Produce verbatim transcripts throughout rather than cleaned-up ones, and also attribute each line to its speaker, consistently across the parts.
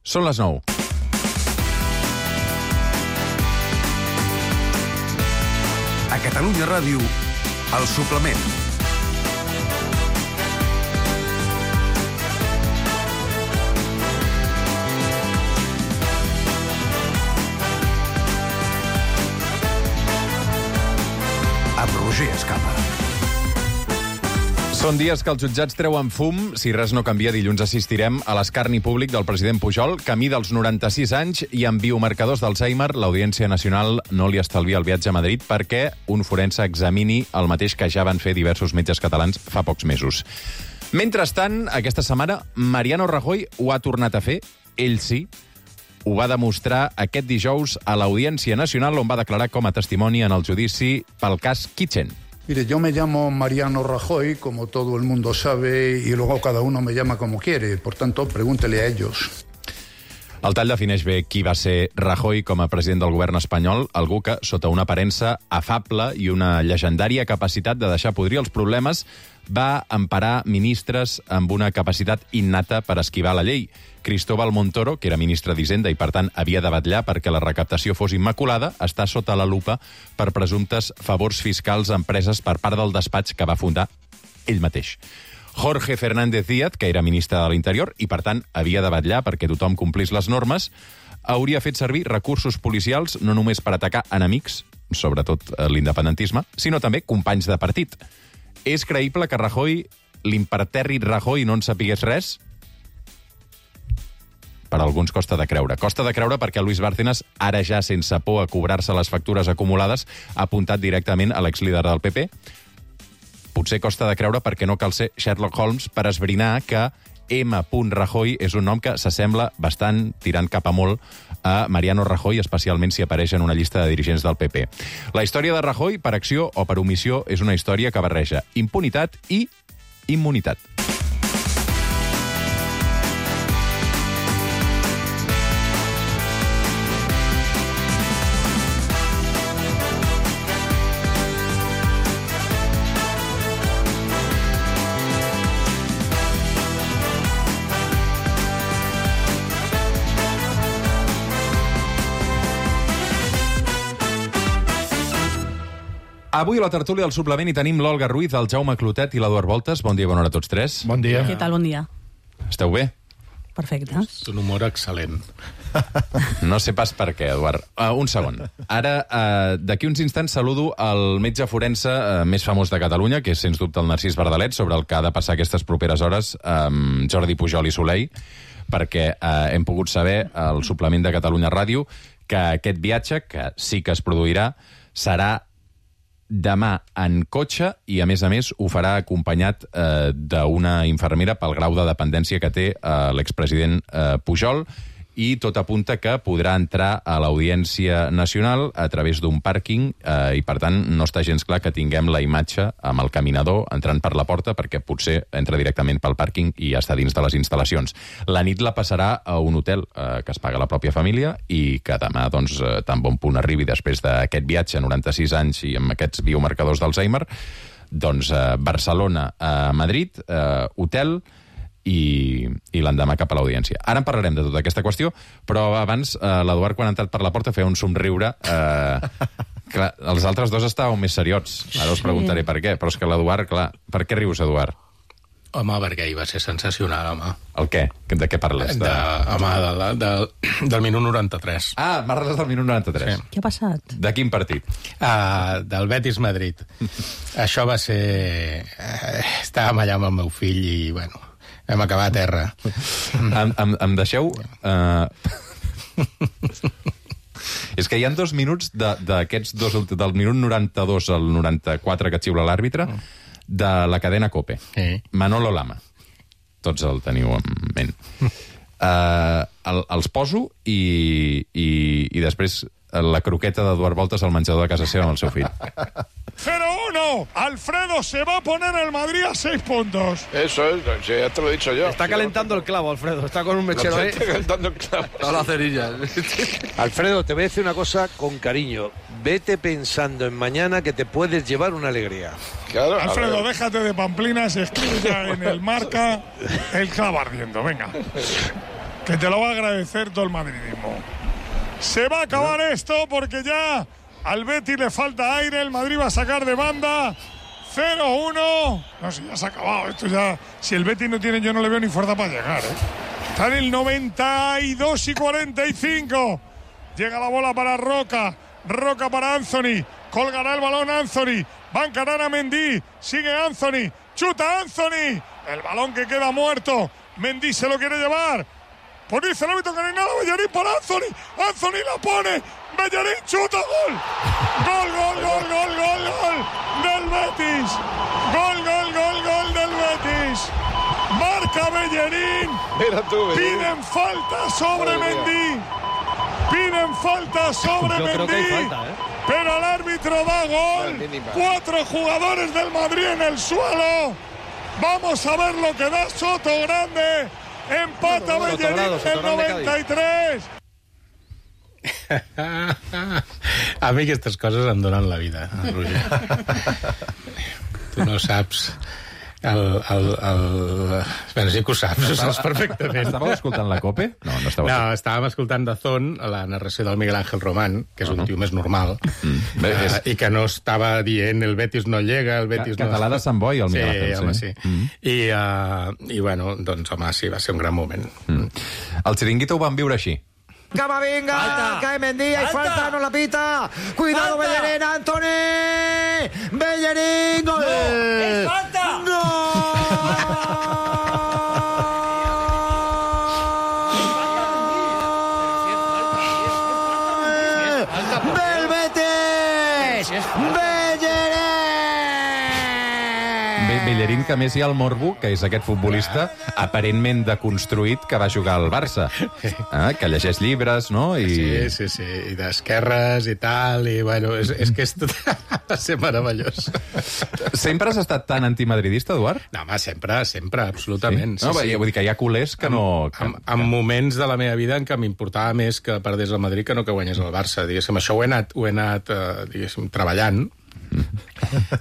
Speaker 1: Són les nou.
Speaker 2: A Catalunya Ràdio, El Suplement. Amb Roger Escapa.
Speaker 1: Són dies que els jutjats treuen fum. Si res no canvia, dilluns assistirem a l'escarni públic del president Pujol, camí dels noranta-sis anys, i amb biomarcadors d'Alzheimer, l'Audiència Nacional no li estalvia el viatge a Madrid perquè un forense examini el mateix que ja van fer diversos metges catalans fa pocs mesos. Mentrestant, aquesta setmana, Mariano Rajoy ho ha tornat a fer, ell sí. Ho va demostrar aquest dijous a l'Audiència Nacional, on va declarar com a testimoni en el judici pel cas Kitchen.
Speaker 3: Mire, yo me llamo Mariano Rajoy, como todo el mundo sabe, y luego cada uno me llama como quiere. Por tanto, pregúntele a ellos.
Speaker 1: El tall defineix bé qui va ser Rajoy com a president del govern espanyol, algú que, sota una aparença afable i una llegendària capacitat de deixar podrir els problemes, va emparar ministres amb una capacitat innata per esquivar la llei. Cristóbal Montoro, que era ministre d'Hisenda i, per tant, havia de vetllar perquè la recaptació fos immaculada, està sota la lupa per presumptes favors fiscals a empreses per part del despatx que va fundar ell mateix. Jorge Fernández Díaz, que era ministre de l'Interior i, per tant, havia de vetllar perquè tothom complís les normes, hauria fet servir recursos policials no només per atacar enemics, sobretot l'independentisme, sinó també companys de partit. És creïble que Rajoy, l'impertèrrit Rajoy, no en sapigués res? Per alguns costa de creure. Costa de creure perquè Luis Bárcenas, ara ja sense por a cobrar-se les factures acumulades, ha apuntat directament a l'exlíder del P P. Potser costa de creure perquè no cal ser Sherlock Holmes per esbrinar que M. Rajoy és un nom que s'assembla bastant, tirant cap a molt, a Mariano Rajoy, especialment si apareix en una llista de dirigents del P P. La història de Rajoy, per acció o per omissió, és una història que barreja impunitat i immunitat. Avui a la tertúlia del Suplement hi tenim l'Olga Ruiz, el Jaume Clotet i l'Eduard Voltes. Bon dia, bona hora a tots tres.
Speaker 4: Bon dia.
Speaker 5: Què tal, bon dia?
Speaker 1: Esteu bé?
Speaker 5: Perfecte.
Speaker 4: Un humor excel·lent.
Speaker 1: No sé pas per què, Eduard. Uh, un segon. Ara, uh, d'aquí uns instants saludo el metge forense uh, més famós de Catalunya, que és, sens dubte, el Narcís Verdalet, sobre el que ha de passar aquestes properes hores amb Jordi Pujol i Soleil, perquè uh, hem pogut saber al Suplement de Catalunya Ràdio que aquest viatge, que sí que es produirà, serà demà en cotxe i, a més a més, ho farà acompanyat eh, d'una infermera pel grau de dependència que té eh, l'expresident eh, Pujol, i tot apunta que podrà entrar a l'Audiència Nacional a través d'un pàrquing eh, i, per tant, no està gens clar que tinguem la imatge amb el caminador entrant per la porta, perquè potser entra directament pel pàrquing i ja està dins de les instal·lacions. La nit la passarà a un hotel eh, que es paga la pròpia família i que demà, doncs, eh, tan bon punt arribi després d'aquest viatge, noranta-sis anys i amb aquests biomarcadors d'Alzheimer, doncs eh, Barcelona a Madrid, eh, hotel, i, i l'endemà cap a l'audiència. Ara en parlarem de tota aquesta qüestió, però abans eh, l'Eduard, quan ha entrat per la porta, feia un somriure. Eh, clar, els altres dos estàveu més seriots. Ara us preguntaré per què, però és que l'Eduard, clar... Per què rius, Eduard?
Speaker 4: Home, perquè hi va ser sensacional, home.
Speaker 1: El què? De què parles?
Speaker 4: De, home, de, de, de, del minut noranta-tres.
Speaker 1: Ah, parles del minut noranta-tres. Sí.
Speaker 5: Què ha passat?
Speaker 1: De quin partit?
Speaker 4: Uh, del Betis-Madrid. Això va ser... Uh, estàvem allà amb el meu fill i, bueno... Vam acabar a terra.
Speaker 1: Em, em, em deixeu... Uh... És que hi ha dos minuts d'aquests dos... Del minut noranta-dos al noranta-quatre que xiula l'àrbitre, de la cadena COPE. Sí. Manolo Lama. Tots el teniu en ment. Uh, el, els poso i, i, i després la croqueta d'Eduard Voltes al menjador de casa seva amb el seu fill.
Speaker 6: cero uno. Alfredo se va a poner el Madrid a seis puntos.
Speaker 7: Eso es, ya te lo he dicho yo.
Speaker 8: Está calentando el clavo, Alfredo. Está con un mechero ahí.
Speaker 7: Está calentando el clavo.
Speaker 8: Todas las cerillas.
Speaker 9: Alfredo, te voy a decir una cosa con cariño. Vete pensando en mañana que te puedes llevar una alegría.
Speaker 7: Claro,
Speaker 6: Alfredo, déjate de pamplinas, escribe ya en el Marca el clavo ardiendo, venga. que te lo va a agradecer todo el madridismo. Se va a acabar esto porque ya al Betis le falta aire, el Madrid va a sacar de banda. cero uno. No sé, ya se ha acabado esto ya. Si el Betis no tiene, yo no le veo ni fuerza para llegar, ¿eh? Está en el noventa y dos y cuarenta y cinco. Llega la bola para Roca. Roca para Anthony. Colgará el balón Anthony. Va a encarar a Mendy. Sigue Anthony. Chuta Anthony. El balón que queda muerto. Mendy se lo quiere llevar. Pues dice el árbitro que no hay nada. Bellerín para Anthony. Anthony la pone. Bellerín chuta. Gol. Gol, gol, gol, gol, gol, gol. Del Betis. Gol, gol, gol, gol del Betis. Marca Bellerín.
Speaker 7: Mira tú, Bellerín.
Speaker 6: Piden falta sobre Mendy. Piden falta sobre
Speaker 8: Yo
Speaker 6: Mendy.
Speaker 8: creo que hay falta, ¿eh?
Speaker 6: Pero el árbitro da gol. Cuatro jugadores del Madrid en el suelo. Vamos a ver lo que da Soto Grande. Empata Bellerín en el noventa y tres.
Speaker 4: A mi aquestes coses em donen la vida, Roger. Tu no saps... El, el, el... Bueno, sí que ho saps, ho saps perfectament.
Speaker 1: Estàveu escoltant la COPE? No, no estàveu.
Speaker 4: No, estàvem escoltant Dazón, la narració del Miguel Ángel Román, que és uh -huh. un tio més normal, mm. Bé, és... uh, i que no estava dient el Betis no llega, el Betis
Speaker 1: Ca
Speaker 4: no...
Speaker 1: Català de Sant Boi, el Miguel Ángel.
Speaker 4: Sí, home, sí. Mm. I, uh, I, bueno, doncs, home, sí, va ser un gran moment.
Speaker 1: Mm. El Chiringuito ho van viure així.
Speaker 5: Camavinga, falta. Cae Mendy, hay falta. falta, no la pita. Cuidado, falta. Bellerín, Anthony. Bellerín, gol. No, es falta. No. Del Betis. Bellerín.
Speaker 1: Bellerín, que més hi ha el morbo, que és aquest futbolista aparentment deconstruït que va jugar al Barça, eh? Que llegeix llibres, no? I...
Speaker 4: Sí, sí, sí, i d'esquerres i tal, i bueno, és, és que és tot... va ser meravellós.
Speaker 1: Sempre has estat tan antimadridista, Eduard?
Speaker 4: No, home, sempre, sempre, absolutament.
Speaker 1: Sí? No, sí, sí. Vull dir que hi ha culers que no... Que...
Speaker 4: En, en moments de la meva vida en què m'importava més que perdés el Madrid que no que guanyés el Barça, diguéssim. Això ho he anat, ho he anat eh, diguéssim, treballant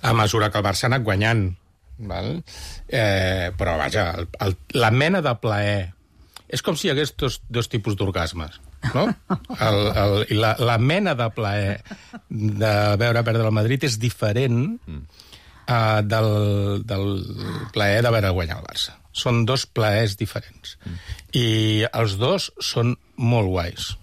Speaker 4: a mesura que el Barça ha anat guanyant. Val? Eh, però vaja, el, el, la mena de plaer és com si hi hagués dos, dos tipus d'orgasmes, no? El, el, i la, la mena de plaer de veure perdre el Madrid és diferent uh, del, del plaer de veure guanyar el Barça. Són dos plaers diferents i els dos són molt guais.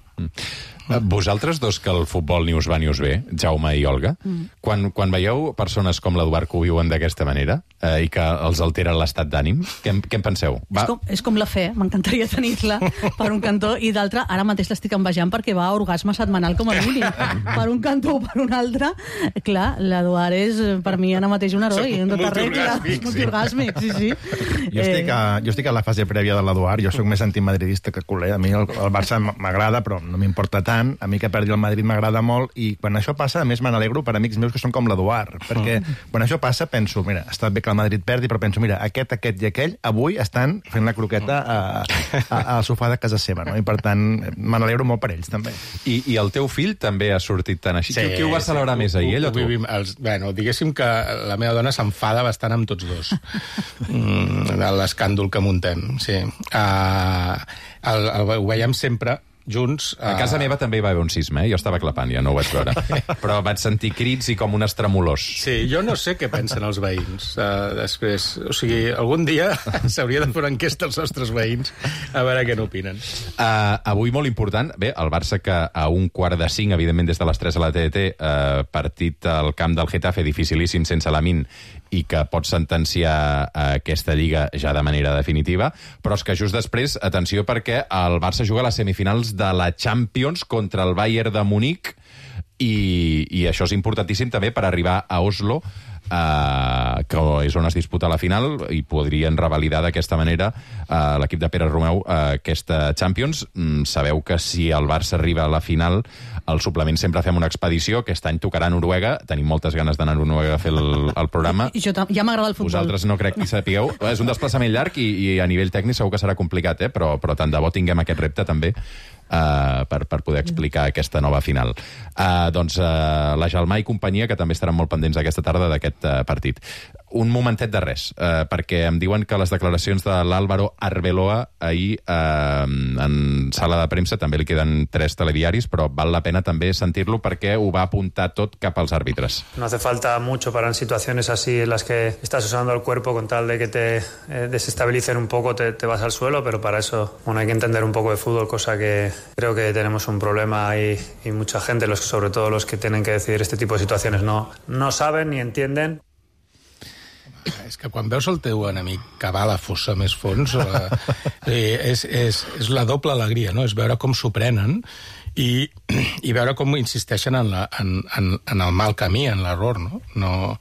Speaker 1: Vosaltres dos, que el futbol ni us va ni us ve, Jaume i Olga, mm. quan, quan veieu persones com l'Eduard que ho viuen d'aquesta manera eh, i que els altera l'estat d'ànim, què, què en penseu? Va...
Speaker 10: És, com, és com la fe, m'encantaria tenir-la per un cantó, i d'altre, ara mateix l'estic envejant perquè va a orgasme setmanal com a mínim. Per un cantó o per un altre, clar, l'Eduard és per mi ara mateix un heroi, en tota regla. Multiorgàsmic, sí, sí.
Speaker 11: Jo estic, a, jo estic a la fase prèvia de l'Eduard, jo sóc més antimadridista que culer, a mi el, el Barça m'agrada, però no m'importa tant. A mi que perdi el Madrid m'agrada molt, i quan això passa, a més me n'alegro per amics meus que són com l'Eduard, perquè quan això passa penso, mira, està bé que el Madrid perdi, però penso, mira, aquest, aquest i aquell avui estan fent la croqueta a, a, al sofà de casa seva, no? I per tant me n'alegro molt per ells, també.
Speaker 1: I, I el teu fill també ha sortit tan així? Sí, qui, qui ho va celebrar sí, més, ahir, ell o tu?
Speaker 4: Els, bueno, diguéssim que la meva dona s'enfada bastant amb tots dos. mm, l'escàndol que muntem, sí. Uh, el, el, ho veiem sempre junts...
Speaker 1: A casa meva també hi va haver un sisme, eh? Jo estava clapant, ja no ho vaig veure. Però vaig sentir crits i com unes tremolors.
Speaker 4: Sí, jo no sé què pensen els veïns uh, després. O sigui, algun dia s'hauria de fer una enquesta als nostres veïns a veure què n'opinen.
Speaker 1: Uh, avui molt important, bé, el Barça que a un quart de cinc, evidentment des de les tres a la T D T, uh, partit al camp del Getafe, dificilíssim sense Lamine, i que pot sentenciar aquesta lliga ja de manera definitiva, però és que just després, atenció, perquè el Barça juga a les semifinals de la Champions contra el Bayern de Munic, i, i això és importantíssim també per arribar a Oslo, eh, que és on es disputa la final, i podrien revalidar d'aquesta manera eh, l'equip de Pere Romeu eh, aquesta Champions. Mm, sabeu que si el Barça arriba a la final, al suplement sempre fem una expedició. Aquest any tocarà a Noruega, tenim moltes ganes d'anar a Noruega a fer el, el programa.
Speaker 10: I jo ja m'agrada el futbol.
Speaker 1: Vosaltres no crec que hi sapigueu. És un desplaçament llarg i, i a nivell tècnic segur que serà complicat, eh? però, però tant de bo tinguem aquest repte també. uh, per, per poder explicar aquesta nova final. Uh, doncs uh, la Gelmà i companyia, que també estaran molt pendents aquesta tarda d'aquest uh, partit. Un momentet de res, uh, perquè em diuen que les declaracions de l'Álvaro Arbeloa ahir uh, en sala de premsa, també li queden tres telediaris, però val la pena també sentir-lo perquè ho va apuntar tot cap als àrbitres.
Speaker 12: No hace falta mucho para en situaciones así en las que estás usando el cuerpo con tal de que te eh, desestabilicen un poco, te, te vas al suelo, pero para eso bueno, hay que entender un poco de fútbol, cosa que creo que tenemos un problema y, y mucha gente, los, sobre todo los que tienen que decidir este tipo de situaciones, no, no saben ni entienden.
Speaker 4: És que quan veus el teu enemic cavar la fossa més fons, eh, és, és, és la doble alegria, no? És veure com s'ho prenen i, i veure com insisteixen en, la, en, en, en el mal camí, en l'error, no? no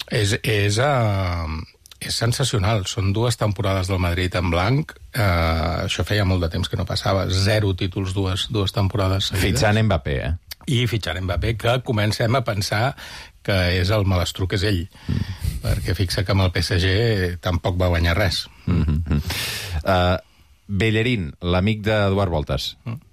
Speaker 4: és, és, uh, és sensacional. Són dues temporades del Madrid en blanc. Uh, això feia molt de temps que no passava. Zero títols, dues, dues temporades seguides.
Speaker 1: Fitxant Mbappé, eh?
Speaker 4: I fitxant Mbappé, que comencem a pensar que és el malastruc, és ell. Mm. Perquè fixa que amb el P S G tampoc va guanyar res.
Speaker 1: Mm-hmm. uh, Bellerín, l'amic d'Eduard Voltas.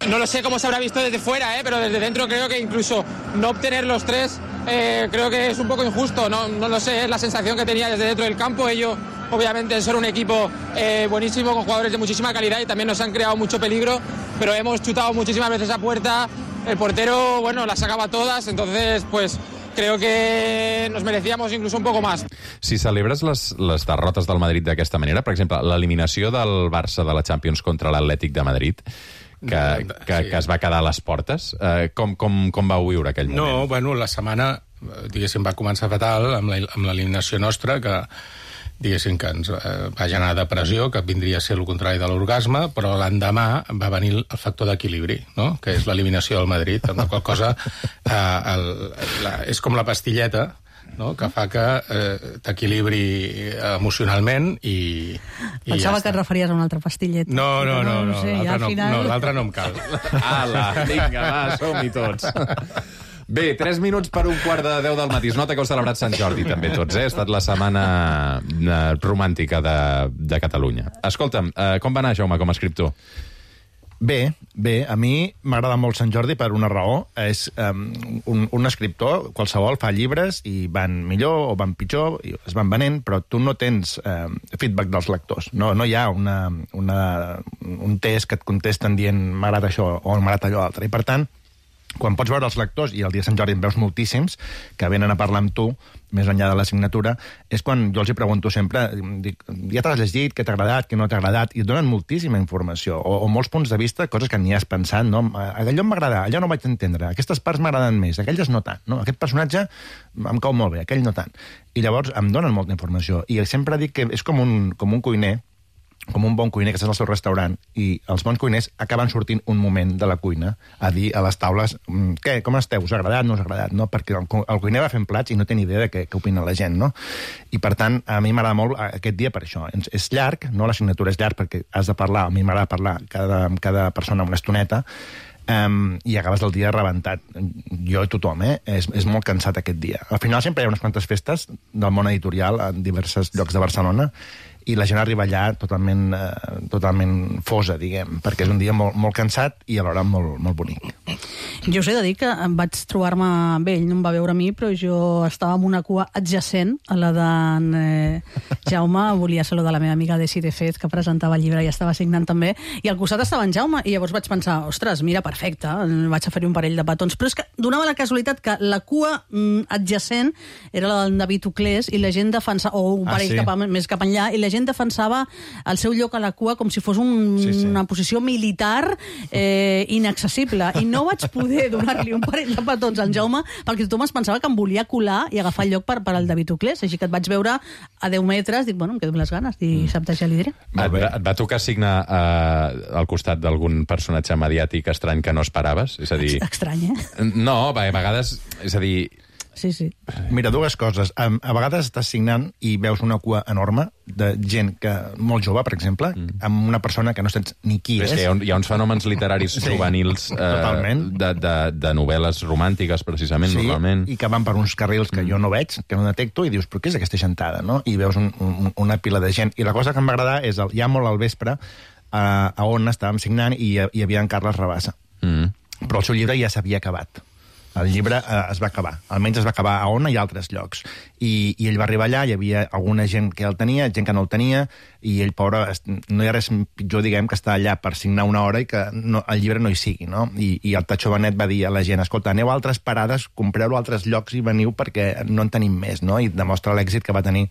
Speaker 13: No lo sé cómo se habrá visto desde fuera, ¿eh? Pero desde dentro creo que incluso no obtener los tres eh, creo que es un poco injusto. No, no lo sé, es la sensación que tenía desde dentro del campo. Ellos, obviamente, son un equipo eh, buenísimo, con jugadores de muchísima calidad y también nos han creado mucho peligro, pero hemos chutado muchísimas veces a puerta. El portero, bueno, las sacaba todas, entonces, pues... creo que nos merecíamos incluso un poco más.
Speaker 1: Si celebres les, les derrotes del Madrid d'aquesta manera, per exemple, l'eliminació del Barça de la Champions contra l'Atlètic de Madrid, que, que, que es va quedar a les portes, eh, com, com, com vau viure aquell moment?
Speaker 4: No, bueno, la setmana, diguéssim, va començar fatal amb l'eliminació nostra, que diguéssim que ens eh, va generar depressió, que vindria a ser el contrari de l'orgasme, però l'endemà va venir el factor d'equilibri, no? Que és l'eliminació del Madrid, amb la qual cosa eh, el, la, és com la pastilleta, no? Que fa que eh, t'equilibri emocionalment i, i
Speaker 10: Pensava
Speaker 4: ja
Speaker 10: que et referies a una altra pastilleta.
Speaker 4: No, no, no, no, no,
Speaker 10: sé,
Speaker 4: l'altra no,
Speaker 10: final...
Speaker 4: no, no em cal.
Speaker 1: Ala, vinga, va, som-hi tots. Bé, tres minuts per un quart de deu del matí. Es nota que heu celebrat Sant Jordi, també, tots, eh? Ha estat la setmana romàntica de, de Catalunya. Escolta'm, eh, com va anar, Jaume, com a escriptor?
Speaker 11: Bé, bé, a mi m'agrada molt Sant Jordi per una raó. És um, un, un escriptor, qualsevol, fa llibres i van millor o van pitjor, i es van venent, però tu no tens um, feedback dels lectors. No, no hi ha una, una, un test que et contesten dient m'agrada això o m'agrada allò altre. I, per tant, quan pots veure els lectors, i el dia de Sant Jordi en veus moltíssims, que venen a parlar amb tu, més enllà de la signatura, és quan jo els hi pregunto sempre, dic, ja t'has llegit, què t'ha agradat, què no t'ha agradat, i et donen moltíssima informació, o, o molts punts de vista, coses que ni has pensat, no? Allò m'agrada, allò no vaig entendre, aquestes parts m'agraden més, aquelles no tant, no? Aquest personatge em cau molt bé, aquell no tant. I llavors em donen molta informació, i sempre dic que és com un, com un cuiner, com un bon cuiner que estàs al seu restaurant, i els bons cuiners acaben sortint un moment de la cuina a dir a les taules què, com esteu, us ha agradat, no us ha agradat, no? Perquè el, el cuiner va fent plats i no té ni idea de què, què opina la gent, no? I per tant, a mi m'agrada molt aquest dia per això. És llarg, no? La signatura és llarg perquè has de parlar, a mi m'agrada parlar cada, amb cada persona una estoneta, Um, i acabes el dia rebentat. Jo i tothom, eh? És, és molt cansat aquest dia. Al final sempre hi ha unes quantes festes del món editorial en diversos llocs de Barcelona i la gent arriba allà totalment, eh, totalment fosa, diguem, perquè és un dia molt, molt cansat i alhora molt, molt bonic.
Speaker 10: Jo us he de dir que vaig trobar-me amb ell, no em va veure a mi, però jo estava en una cua adjacent a la d'en eh, Jaume, volia saludar la meva amiga Desi de Fez, que presentava el llibre i estava signant també, i al costat estava en Jaume, i llavors vaig pensar, ostres, mira, perfecte, vaig a fer un parell de petons, però és que donava la casualitat que la cua mm, adjacent era la del David Uclés, i la gent defensava, o un parell ah, sí. cap a, més cap enllà, i la gent defensava el seu lloc a la cua com si fos un, sí, sí. una posició militar eh, inaccessible, i no vaig poder donar-li un parell de petons al Jaume perquè tothom es pensava que em volia colar i agafar el lloc per, per al David Uclés, així que et vaig veure a deu metres, dic, bueno, em quedo amb les ganes, i dissabte ja li diré.
Speaker 1: Et va, et va tocar signar eh, al costat d'algun personatge mediàtic estrany que no esperaves? És a dir...
Speaker 10: Estrany, eh?
Speaker 1: No, a vegades, és a dir...
Speaker 10: Sí, sí.
Speaker 11: Mira, dues coses. A, a vegades estàs signant i veus una cua enorme de gent que molt jove, per exemple, mm. amb una persona que no saps ni qui és.
Speaker 1: És que hi ha, un, hi ha uns fenòmens literaris sí, juvenils eh, de, de, de novel·les romàntiques, precisament, sí, normalment.
Speaker 11: I que van per uns carrils que mm. jo no veig, que no detecto, i dius, però què és aquesta gentada, no? I veus un, un, una pila de gent. I la cosa que em va agradar és, el, ja molt al vespre, a, a on estàvem signant i hi havia en Carles Rabassa. Mm. Però el seu llibre ja s'havia acabat. El llibre eh, es va acabar. Almenys es va acabar a Ona i a altres llocs. I, I ell va arribar allà, hi havia alguna gent que el tenia, gent que no el tenia, i ell, pobre, no hi ha res pitjor, diguem, que estar allà per signar una hora i que no, el llibre no hi sigui, no? I, i el Tatxo Benet va dir a la gent, escolta, aneu a altres parades, compreu-lo a altres llocs i veniu perquè no en tenim més, no? I demostra l'èxit que va tenir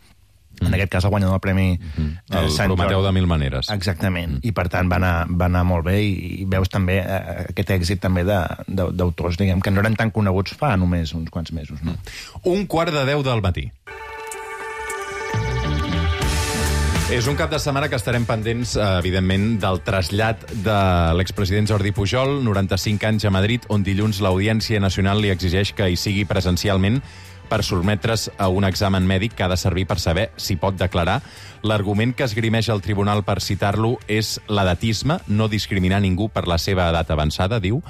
Speaker 11: en aquest cas el guanyador del premi mm-hmm. eh,
Speaker 1: el
Speaker 11: Sant
Speaker 1: Prometeu
Speaker 11: Jordi.
Speaker 1: de mil maneres.
Speaker 11: Exactament, mm. i per tant va anar, va anar molt bé i, i veus també eh, aquest èxit també d'autors, diguem, que no eren tan coneguts fa només uns quants mesos. No?
Speaker 1: Un quart de deu del matí. És un cap de setmana que estarem pendents, evidentment, del trasllat de l'expresident Jordi Pujol, noranta-cinc anys a Madrid, on dilluns l'Audiència Nacional li exigeix que hi sigui presencialment per sotmetre's a un examen mèdic que ha de servir per saber si pot declarar. L'argument que esgrimeix el tribunal per citar-lo és l'edatisme, no discriminar ningú per la seva edat avançada, diu.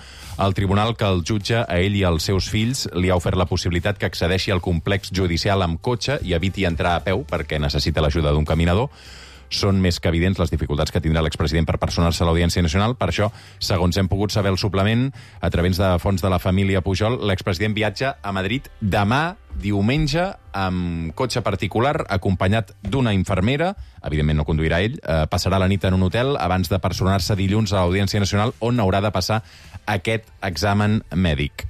Speaker 1: El tribunal que el jutge a ell i als seus fills li ha ofert la possibilitat que accedeixi al complex judicial amb cotxe i eviti entrar a peu perquè necessita l'ajuda d'un caminador. Són més que evidents les dificultats que tindrà l'expresident per personar-se a l'Audiència Nacional. Per això, segons hem pogut saber el suplement, a través de fons de la família Pujol, l'expresident viatja a Madrid demà, diumenge, amb cotxe particular, acompanyat d'una infermera, evidentment no conduirà ell, eh, passarà la nit en un hotel abans de personar-se dilluns a l'Audiència Nacional, on haurà de passar aquest examen mèdic.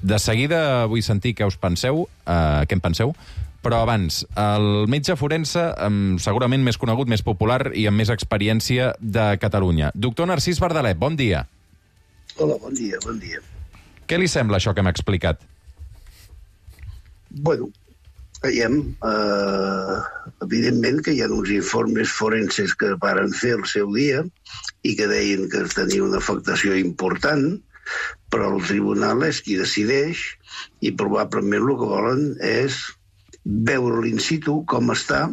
Speaker 1: De seguida vull sentir què us penseu, eh, què en penseu, però abans, el metge forense, segurament més conegut, més popular i amb més experiència de Catalunya. Doctor Narcís Bardalet, bon dia.
Speaker 14: Hola, bon dia, bon dia.
Speaker 1: Què li sembla això que hem explicat?
Speaker 14: Bueno, veiem, eh, evidentment que hi ha uns informes forenses que varen fer el seu dia i que deien que tenia una afectació important, però el tribunal és qui decideix i probablement el que volen és veure l'in situ com està,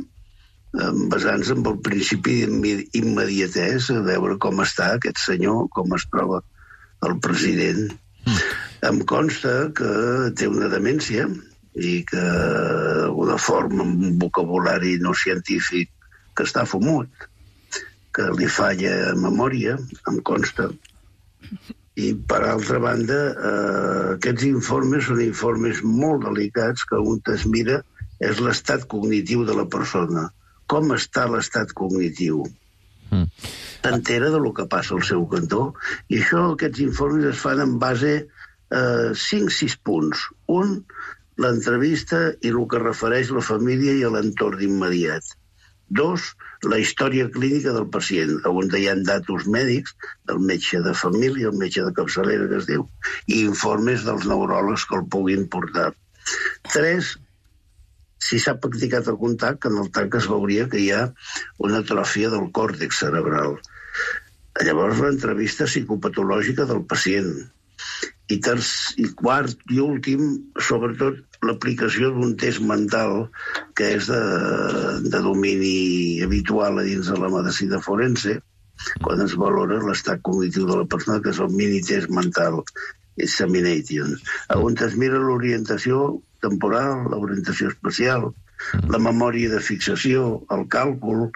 Speaker 14: basant-se en el principi d'immediatès, a veure com està aquest senyor, com es troba el president. Mm. Em consta que té una demència i que d'alguna forma amb un vocabulari no científic que està fumut, que li falla memòria, em consta. I, per altra banda, eh, aquests informes són informes molt delicats que un es mira és l'estat cognitiu de la persona. Com està l'estat cognitiu? Mm. S'entera de lo que passa al seu cantó. I això, aquests informes es fan en base a eh, cinc sis punts. Un, l'entrevista i el que refereix la família i a l'entorn immediat. Dos, la història clínica del pacient, on hi ha datos mèdics del metge de família, el metge de capçalera que es diu, i informes dels neuròlegs que el puguin portar. Tres, si s'ha practicat el contacte, en el tanc es veuria que hi ha una atròfia del còrtex cerebral. Llavors, l'entrevista psicopatològica del pacient. I, terç, i quart i últim, sobretot, l'aplicació d'un test mental que és de, de domini habitual a dins de la medicina forense, quan es valora l'estat cognitiu de la persona, que és el mini-test mental, examination, on es mira l'orientació temporal, l'orientació espacial, la memòria de fixació, el càlcul,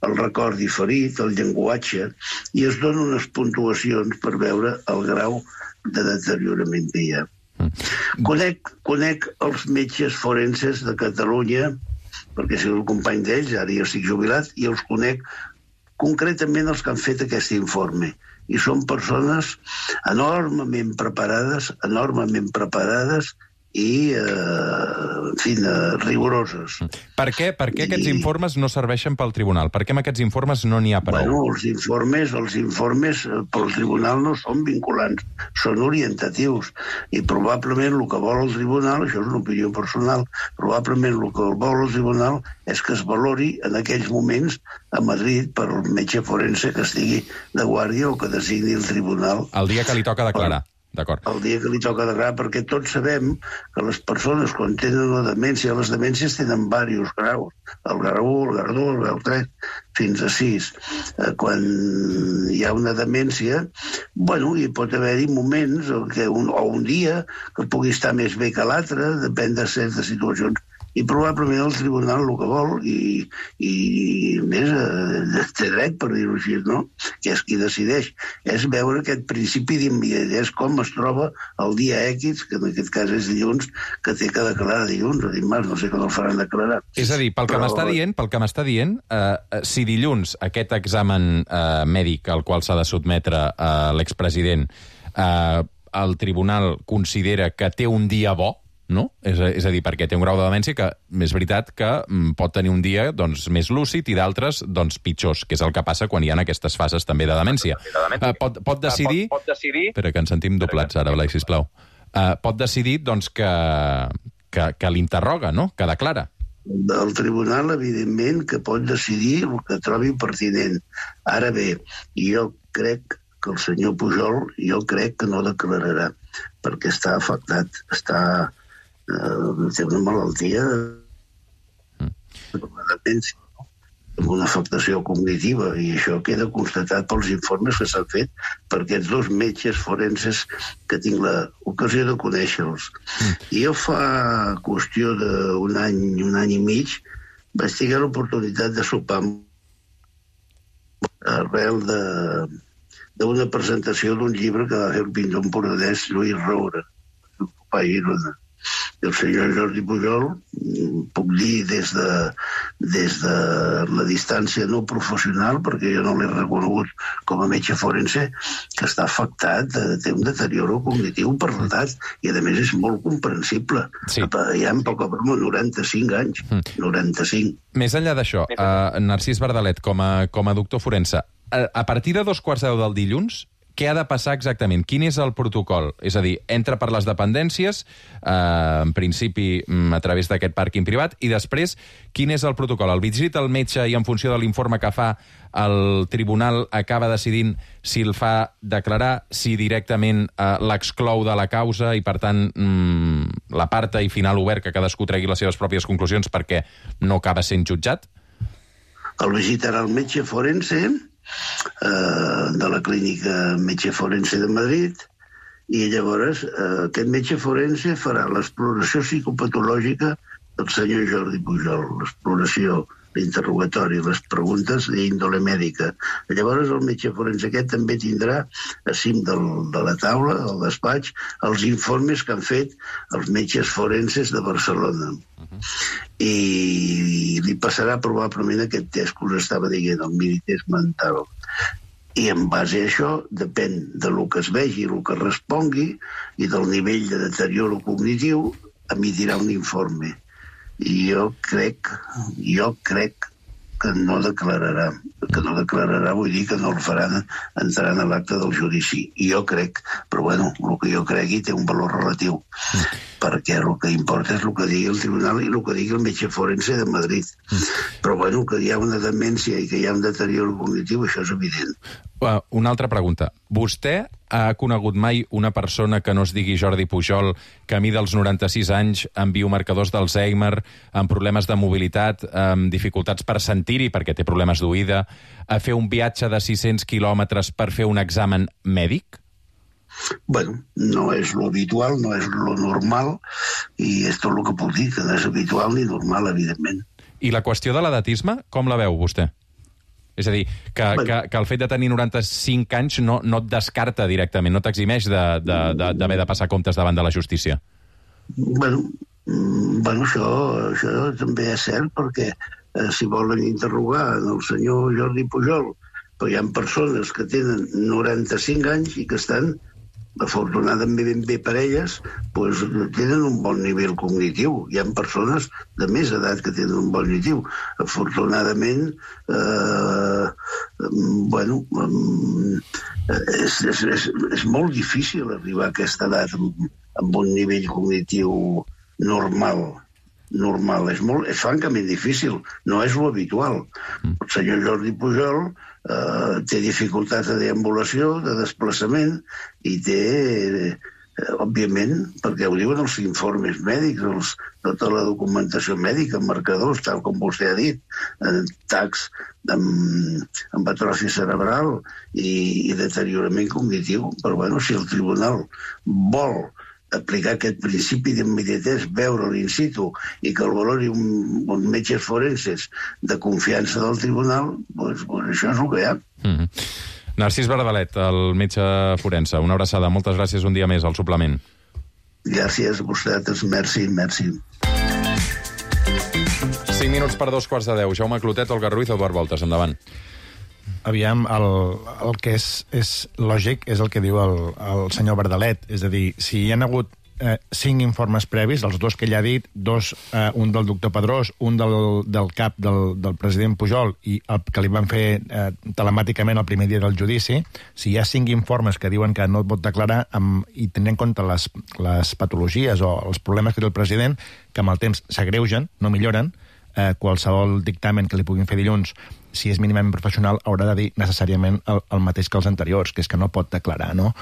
Speaker 14: el record diferit, el llenguatge, i es donen unes puntuacions per veure el grau de deteriorament que hi ha. Conec, conec els metges forenses de Catalunya, perquè soc el company d'ells, ara jo estic jubilat, i els conec concretament els que han fet aquest informe. I són persones enormement preparades, enormement preparades i, eh, en fi, rigoroses.
Speaker 1: Per què, per què aquests I... informes no serveixen pel tribunal? Per què amb aquests informes no n'hi ha prou?
Speaker 14: Bueno, els informes, els informes pel tribunal no són vinculants, són orientatius. I probablement el que vol el tribunal, això és una opinió personal, probablement el que vol el tribunal és que es valori en aquells moments a Madrid per el metge forense que estigui de guàrdia o que designi el tribunal.
Speaker 1: El dia que li toca declarar. D'acord.
Speaker 14: El dia que li toca declarar, perquè tots sabem que les persones, quan tenen la demència, les demències tenen diversos graus, el grau u, el grau dos, el grau tres, fins a sis. Quan hi ha una demència, bueno, hi pot haver-hi moments que un, o un dia que pugui estar més bé que l'altre, depèn de certes situacions I probablement el tribunal el que vol, i, i més, eh, té dret, per dir-ho així, no? Que és qui decideix. És veure aquest principi d'immediatesa, com es troba el dia X, que en aquest cas és dilluns, que té que declarar dilluns o dimarts, no sé com el faran declarar.
Speaker 1: És a dir, pel que
Speaker 14: Però...
Speaker 1: m'està dient, pel que m'està dient, eh, si dilluns aquest examen eh, mèdic al qual s'ha de sotmetre eh, l'expresident, eh, el tribunal considera que té un dia bo, no? És a, és a dir, perquè té un grau de demència que és veritat que mm, pot tenir un dia doncs, més lúcid i d'altres doncs, pitjors, que és el que passa quan hi ha aquestes fases també de demència. Uh, pot, pot decidir...
Speaker 15: Pot, pot decidir...
Speaker 1: Espera, que ens sentim doblats ara, Blai, sisplau. Uh, pot decidir doncs, que, que, que l'interroga, no? Que declara.
Speaker 14: El tribunal, evidentment, que pot decidir el que trobi pertinent. Ara bé, jo crec que el senyor Pujol, jo crec que no declararà, perquè està afectat, està... Uh, té una malaltia mm. de demència, no? Amb una afectació cognitiva, i això queda constatat pels informes que s'han fet per aquests dos metges forenses que tinc l'ocasió de conèixer-los. Mm. I jo fa qüestió d'un any, un any i mig, vaig tenir l'oportunitat de sopar arrel de d'una presentació d'un llibre que va fer el pintor empordanès Lluís Roura, el Papa Girona. El senyor Jordi Pujol, puc dir des de, des de la distància no professional, perquè jo no l'he reconegut com a metge forense, que està afectat, té un deterioro cognitiu per l'edat, i a més és molt comprensible. Sí. Hi ha poc a broma noranta-cinc anys, mm. noranta-cinc.
Speaker 1: Més enllà d'això, uh, Narcís Bardalet, com a, com a doctor forense, a, a partir de dos quarts de deu del dilluns, què ha de passar exactament? Quin és el protocol? És a dir, entra per les dependències, eh, en principi a través d'aquest pàrquing privat, i després, quin és el protocol? El visita el metge i en funció de l'informe que fa el tribunal acaba decidint si el fa declarar, si directament eh, l'exclou de la causa i, per tant, mm, l'aparta i final obert que cadascú tregui les seves pròpies conclusions perquè no acaba sent jutjat?
Speaker 14: El visitarà el metge forense de la clínica metge forense de Madrid, i llavors eh, aquest metge forense farà l'exploració psicopatològica del senyor Jordi Pujol, l'exploració, l'interrogatori, les preguntes d'índole mèdica. Llavors el metge forense aquest també tindrà a cim del, de la taula, del despatx, els informes que han fet els metges forenses de Barcelona. Uh-huh. I li passarà probablement aquest test que us estava dient, el minitest mental. I en base a això, depèn de lo que es vegi, el que respongui, i del nivell de deterioro cognitiu, emitirà un informe. I jo crec, jo crec que no declararà. Que no declararà vull dir que no el faran entrar en l'acte del judici. I jo crec, però bueno, el que jo cregui té un valor relatiu, perquè el que importa és el que digui el tribunal i el que digui el metge forense de Madrid. Però bueno, que hi ha una demència i que hi ha un deterioro cognitiu, això és evident.
Speaker 1: Uh, una altra pregunta. Vostè ha conegut mai una persona que no es digui Jordi Pujol, camí dels noranta-sis anys, amb biomarcadors d'Alzheimer, amb problemes de mobilitat, amb dificultats per sentir-hi, perquè té problemes d'oïda, a fer un viatge de sis-cents quilòmetres per fer un examen mèdic?
Speaker 14: Bueno, no és lo habitual, no és lo normal, i és tot el que puc dir, que no és habitual ni normal, evidentment.
Speaker 1: I la qüestió de l'edatisme, com la veu vostè? És a dir, que, bueno. que, que el fet de tenir noranta-cinc anys no, no et descarta directament, no t'eximeix d'haver de, de, de, de passar comptes davant de la justícia.
Speaker 14: Bueno, bueno això, això també és cert, perquè eh, si volen interrogar el senyor Jordi Pujol, però hi ha persones que tenen noranta-cinc anys i que estan, afortunadament bé per elles, pues, tenen un bon nivell cognitiu. Hi ha persones de més edat que tenen un bon nivell. Afortunadament, eh, bueno, és, és, és, és molt difícil arribar a aquesta edat amb, amb un nivell cognitiu normal. normal. És, molt, és francament difícil. No és lo habitual. El senyor Jordi Pujol Uh, té dificultats de deambulació, de desplaçament, i té, eh, òbviament, perquè ho diuen els informes mèdics, els, tota la documentació mèdica, marcadors, tal com vostè ha dit, eh, tacs amb, amb atròfia cerebral i, i deteriorament cognitiu. Però bueno, si el tribunal vol aplicar aquest principi d'immediatesa, veure-lo in situ i que el valori un, uns metges forenses de confiança del tribunal, doncs, doncs això és el que hi ha.
Speaker 1: Mm-hmm. Narcís Bardalet, el metge forense, una abraçada. Moltes gràcies un dia més al suplement.
Speaker 14: Gràcies a vosaltres, merci, merci.
Speaker 1: cinc minuts per dos quarts de deu. Jaume Clotet, Olga Ruiz, Eduard Voltes, endavant.
Speaker 11: Aviam, el, el que és, és lògic és el que diu el, el senyor Bardalet. És a dir, si hi ha hagut eh, cinc informes previs, els dos que ell ha dit, dos, eh, un del doctor Pedrós, un del, del cap del, del president Pujol i el que li van fer eh, telemàticament el primer dia del judici, si hi ha cinc informes que diuen que no et pot declarar amb, i tenint en compte les, les patologies o els problemes que té el president, que amb el temps s'agreugen, no milloren, eh, qualsevol dictamen que li puguin fer dilluns, si és mínimament professional, haurà de dir necessàriament el, el mateix que els anteriors, que és que no pot declarar, no?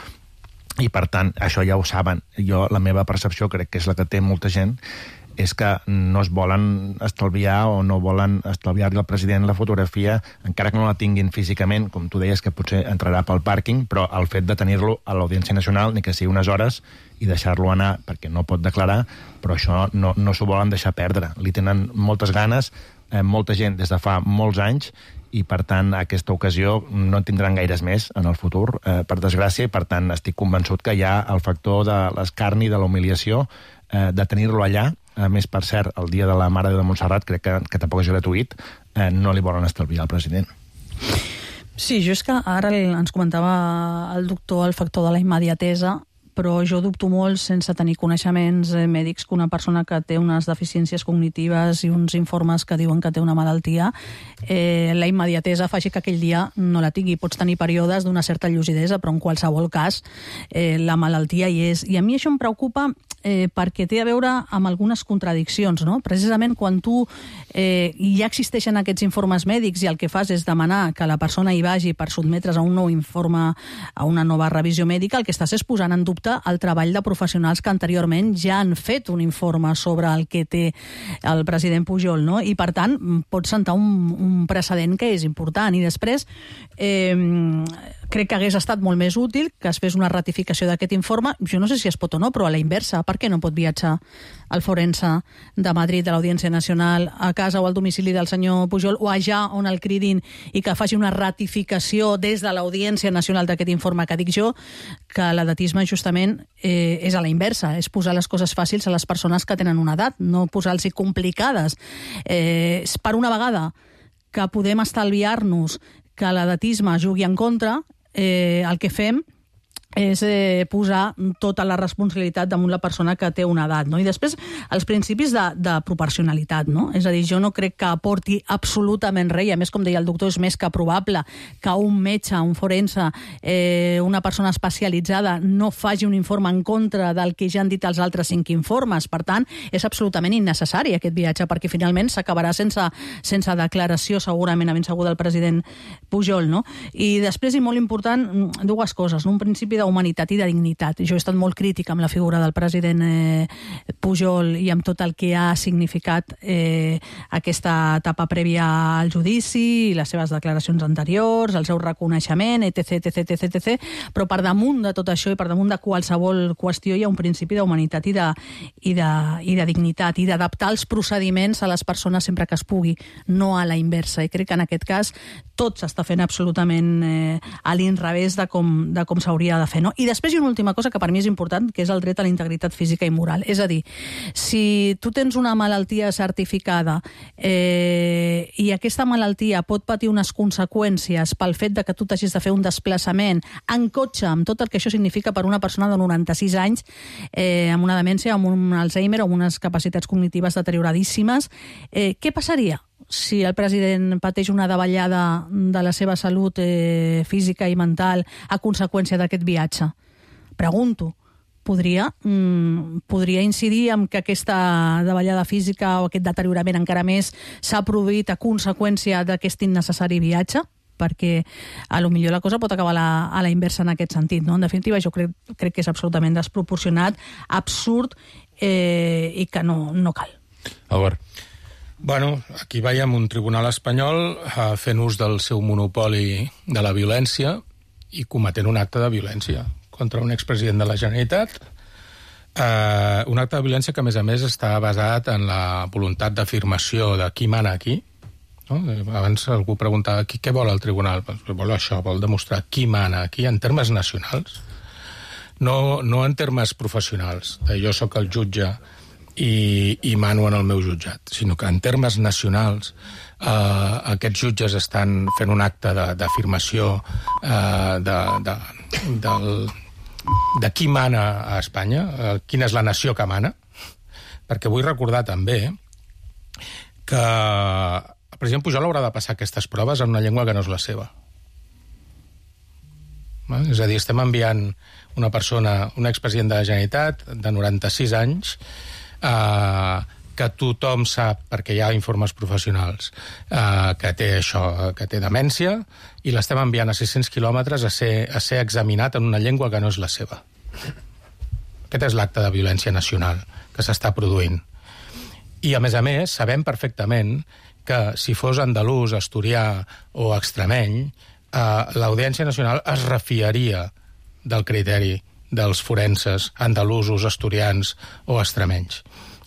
Speaker 11: I, per tant, això ja ho saben. Jo, la meva percepció, crec que és la que té molta gent, és que no es volen estalviar o no volen estalviar-li al president la fotografia, encara que no la tinguin físicament, com tu deies, que potser entrarà pel pàrquing, però el fet de tenir-lo a l'Audiència Nacional, ni que sigui unes hores, i deixar-lo anar perquè no pot declarar, però això no, no s'ho volen deixar perdre. Li tenen moltes ganes, eh, molta gent des de fa molts anys, i, per tant, aquesta ocasió no en tindran gaires més en el futur, eh, per desgràcia, i, per tant, estic convençut que hi ha el factor de l'escarni, de la humiliació, eh, de tenir-lo allà. A més, per cert, el dia de la Mare de Montserrat, crec que, que tampoc és gratuït, eh, no li volen estalviar al president.
Speaker 10: Sí, jo és que ara ens comentava el doctor el factor de la immediatesa, però jo dubto molt, sense tenir coneixements mèdics, que una persona que té unes deficiències cognitives i uns informes que diuen que té una malaltia, eh, la immediatesa faci que aquell dia no la tingui. Pots tenir períodes d'una certa llucidesa, però en qualsevol cas eh, la malaltia hi és. I a mi això em preocupa eh, perquè té a veure amb algunes contradiccions, no? Precisament quan tu eh, ja existeixen aquests informes mèdics i el que fas és demanar que la persona hi vagi per sotmetre's a un nou informe, a una nova revisió mèdica, el que estàs és posant en dubte el treball de professionals que anteriorment ja han fet un informe sobre el que té el president Pujol, no? I, per tant, pot sentar un, un precedent que és important. I després, eh, crec que hagués estat molt més útil que es fes una ratificació d'aquest informe. Jo no sé si es pot o no, però a la inversa, per què no pot viatjar el forense de Madrid, de l'Audiència Nacional, a casa o al domicili del senyor Pujol, o allà on el cridin, i que faci una ratificació des de l'Audiència Nacional d'aquest informe? Que dic jo que l'edatisme justament eh, és a la inversa, és posar les coses fàcils a les persones que tenen una edat, no posar-los complicades. Eh, per una vegada que podem estalviar-nos que l'edatisme jugui en contra, eh, el que fem és eh, posar tota la responsabilitat damunt la persona que té una edat, no? I després, els principis de, de proporcionalitat, no? És a dir, jo no crec que aporti absolutament res, i a més, com deia el doctor, és més que probable que un metge, un forense, eh, una persona especialitzada no faci un informe en contra del que ja han dit els altres cinc informes. Per tant, és absolutament innecessari aquest viatge, perquè finalment s'acabarà sense, sense declaració, segurament, a ben segur, del president Pujol, no? I després, i molt important, dues coses, no? Un principi de humanitat i de dignitat. Jo he estat molt crítica amb la figura del president eh, Pujol i amb tot el que ha significat eh, aquesta etapa prèvia al judici, les seves declaracions anteriors, el seu reconeixement, etc, etc, etc, etc. Però per damunt de tot això i per damunt de qualsevol qüestió hi ha un principi d'humanitat i de, i de, i de dignitat i d'adaptar els procediments a les persones sempre que es pugui, no a la inversa. I crec que en aquest cas tot s'està fent absolutament eh, a l'inrevés de com, de com s'hauria de fer, no? I després hi ha una última cosa que per mi és important, que és el dret a la integritat física i moral. És a dir, si tu tens una malaltia certificada eh, i aquesta malaltia pot patir unes conseqüències pel fet de que tu t'hagis de fer un desplaçament en cotxe, amb tot el que això significa per una persona de noranta-sis anys, eh, amb una demència, amb un Alzheimer, amb unes capacitats cognitives deterioradíssimes, eh, què passaria si el president pateix una davallada de la seva salut eh, física i mental a conseqüència d'aquest viatge? Pregunto. Podria, mm, podria incidir en que aquesta davallada física o aquest deteriorament encara més s'ha produït a conseqüència d'aquest innecessari viatge? Perquè a lo millor la cosa pot acabar a la, a la inversa en aquest sentit, no? En definitiva, jo crec, crec que és absolutament desproporcionat, absurd eh, i que no, no cal.
Speaker 1: Albert.
Speaker 4: Bueno, aquí veiem un tribunal espanyol eh, fent ús del seu monopoli de la violència i cometent un acte de violència contra un expresident de la Generalitat, Uh, un acte de violència que, a més a més, està basat en la voluntat d'afirmació de qui mana aquí. No? Abans algú preguntava qui, què vol el tribunal. Pues, vol això, vol demostrar qui mana aquí en termes nacionals, no, no en termes professionals. Jo sóc el jutge i, i mano en el meu jutjat, sinó que en termes nacionals eh, aquests jutges estan fent un acte d'afirmació eh, de, de, del, de qui mana a Espanya, eh, quina és la nació que mana, perquè vull recordar també que el president Pujol haurà de passar aquestes proves en una llengua que no és la seva. És a dir, estem enviant una persona, un expresident de la Generalitat de noranta-sis anys, eh, que tothom sap, perquè hi ha informes professionals, eh, que té això, que té demència, i l'estem enviant a sis-cents quilòmetres a ser, a ser examinat en una llengua que no és la seva. Aquest és l'acte de violència nacional que s'està produint. I, a més a més, sabem perfectament que si fos andalús, asturià o extremeny, Uh, l'Audiència Nacional es refiaria del criteri dels forenses andalusos, asturians o extremenys.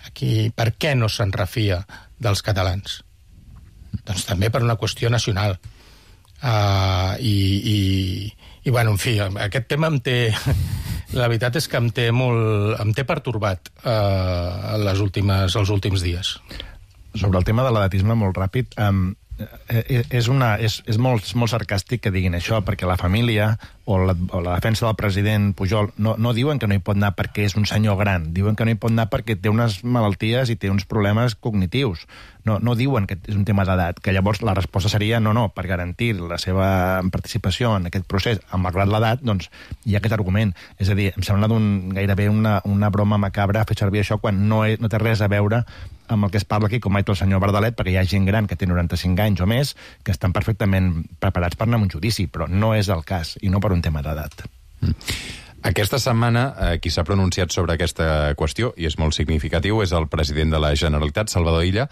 Speaker 4: Aquí, per què no se'n refia dels catalans? Doncs també per una qüestió nacional. Uh, i, i, i, bueno, en fi, aquest tema em té... La veritat és que em té molt... em té pertorbat uh, les últimes, els últims dies.
Speaker 11: Sobre el tema de l'edatisme, molt ràpid... Um... és, una, és, és molt, molt sarcàstic que diguin això, perquè la família o la, o la defensa del president Pujol no, no diuen que no hi pot anar perquè és un senyor gran, diuen que no hi pot anar perquè té unes malalties i té uns problemes cognitius. No, no diuen que és un tema d'edat, que llavors la resposta seria no, no, per garantir la seva participació en aquest procés, malgrat l'edat, doncs hi ha aquest argument. És a dir, em sembla d'un, gairebé una, una broma macabra fer servir això quan no, he, no té res a veure amb el que es parla aquí, com ha dit el senyor Bardalet, perquè hi ha gent gran que té noranta-cinc anys o més que estan perfectament preparats per anar a un judici, però no és el cas, i no per un tema d'edat.
Speaker 1: Mm. Aquesta setmana, eh, qui s'ha pronunciat sobre aquesta qüestió, i és molt significatiu, és el president de la Generalitat, Salvador Illa.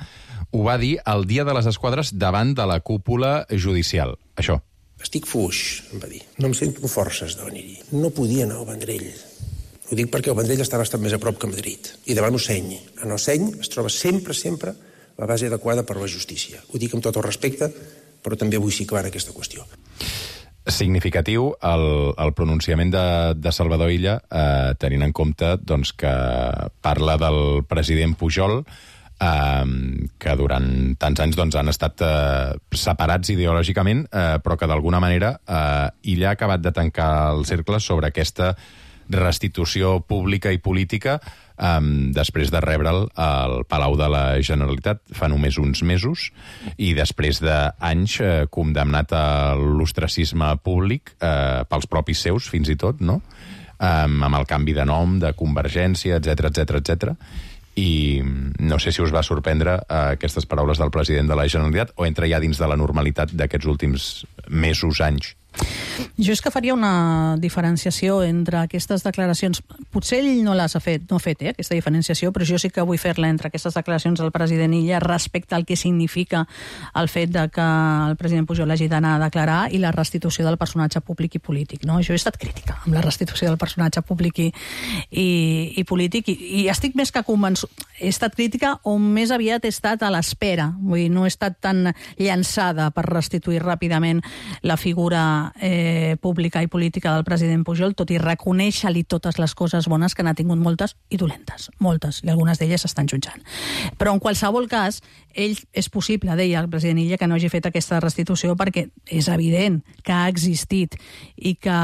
Speaker 1: Ho va dir el dia de les esquadres davant de la cúpula judicial. Això.
Speaker 15: Estic fuix, em va dir. No em sento forces de venir-hi. No podia anar al Vendrell. Ho dic perquè el Vendrell està bastant més a prop que Madrid. I davant Oceny. En Oceny es troba sempre, sempre la base adequada per a la justícia. Ho dic amb tot el respecte, però també vull situar aquesta qüestió.
Speaker 1: Significatiu el, el pronunciament de, de Salvador Illa, eh, tenint en compte doncs, que parla del president Pujol, eh, que durant tants anys doncs, han estat eh, separats ideològicament, eh, però que d'alguna manera eh, Illa ha acabat de tancar el cercle sobre aquesta restitució pública i política um, després de rebre'l al Palau de la Generalitat fa només uns mesos i després d'anys eh, condemnat a l'ostracisme públic eh, pels propis seus, fins i tot, no? Um, amb el canvi de nom, de Convergència, etcètera, etcètera, etcètera. I no sé si us va sorprendre eh, aquestes paraules del president de la Generalitat o entra ja dins de la normalitat d'aquests últims mesos, anys.
Speaker 10: Jo és que faria una diferenciació entre aquestes declaracions. Potser ell no les ha fet, no ha fet, eh, aquesta diferenciació, però jo sí que vull fer-la entre aquestes declaracions del president Illa respecte al que significa el fet de que el president Pujol hagi d'anar a declarar i la restitució del personatge públic i polític. No? Jo he estat crítica amb la restitució del personatge públic i, i, i polític i, i estic més que convençut. He estat crítica o més aviat he estat a l'espera. Vull dir, no he estat tan llançada per restituir ràpidament la figura Eh, pública i política del president Pujol, tot i reconèixer-li totes les coses bones que n'ha tingut moltes i dolentes, moltes, i algunes d'elles s'estan jutjant. Però en qualsevol cas, ell és possible, deia el president Illa, que no hagi fet aquesta restitució perquè és evident que ha existit i que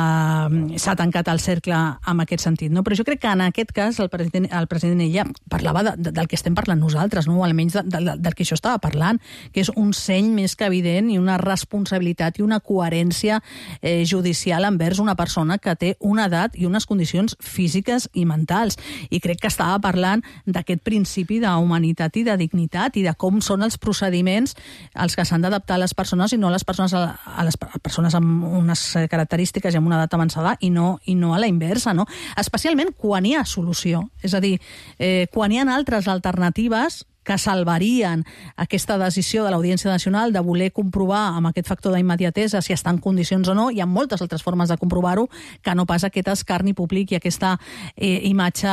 Speaker 10: s'ha tancat el cercle en aquest sentit. No? Però jo crec que en aquest cas el president, el president Illa parlava de, de, del que estem parlant nosaltres, no? Almenys de, de, del que això estava parlant, que és un seny més que evident i una responsabilitat i una coherència Eh, judicial envers una persona que té una edat i unes condicions físiques i mentals. I crec que estava parlant d'aquest principi d'humanitat i de dignitat i de com són els procediments als que s'han d'adaptar les persones i no les persones a, a les persones amb unes característiques i amb una edat avançada i no, i no a la inversa, no? Especialment quan hi ha solució. És a dir, eh, quan hi ha altres alternatives que salvarien aquesta decisió de l'Audiència Nacional de voler comprovar amb aquest factor d'immediatesa si està en condicions o no. Hi ha moltes altres formes de comprovar-ho que no pas aquest escarni públic i aquesta eh, imatge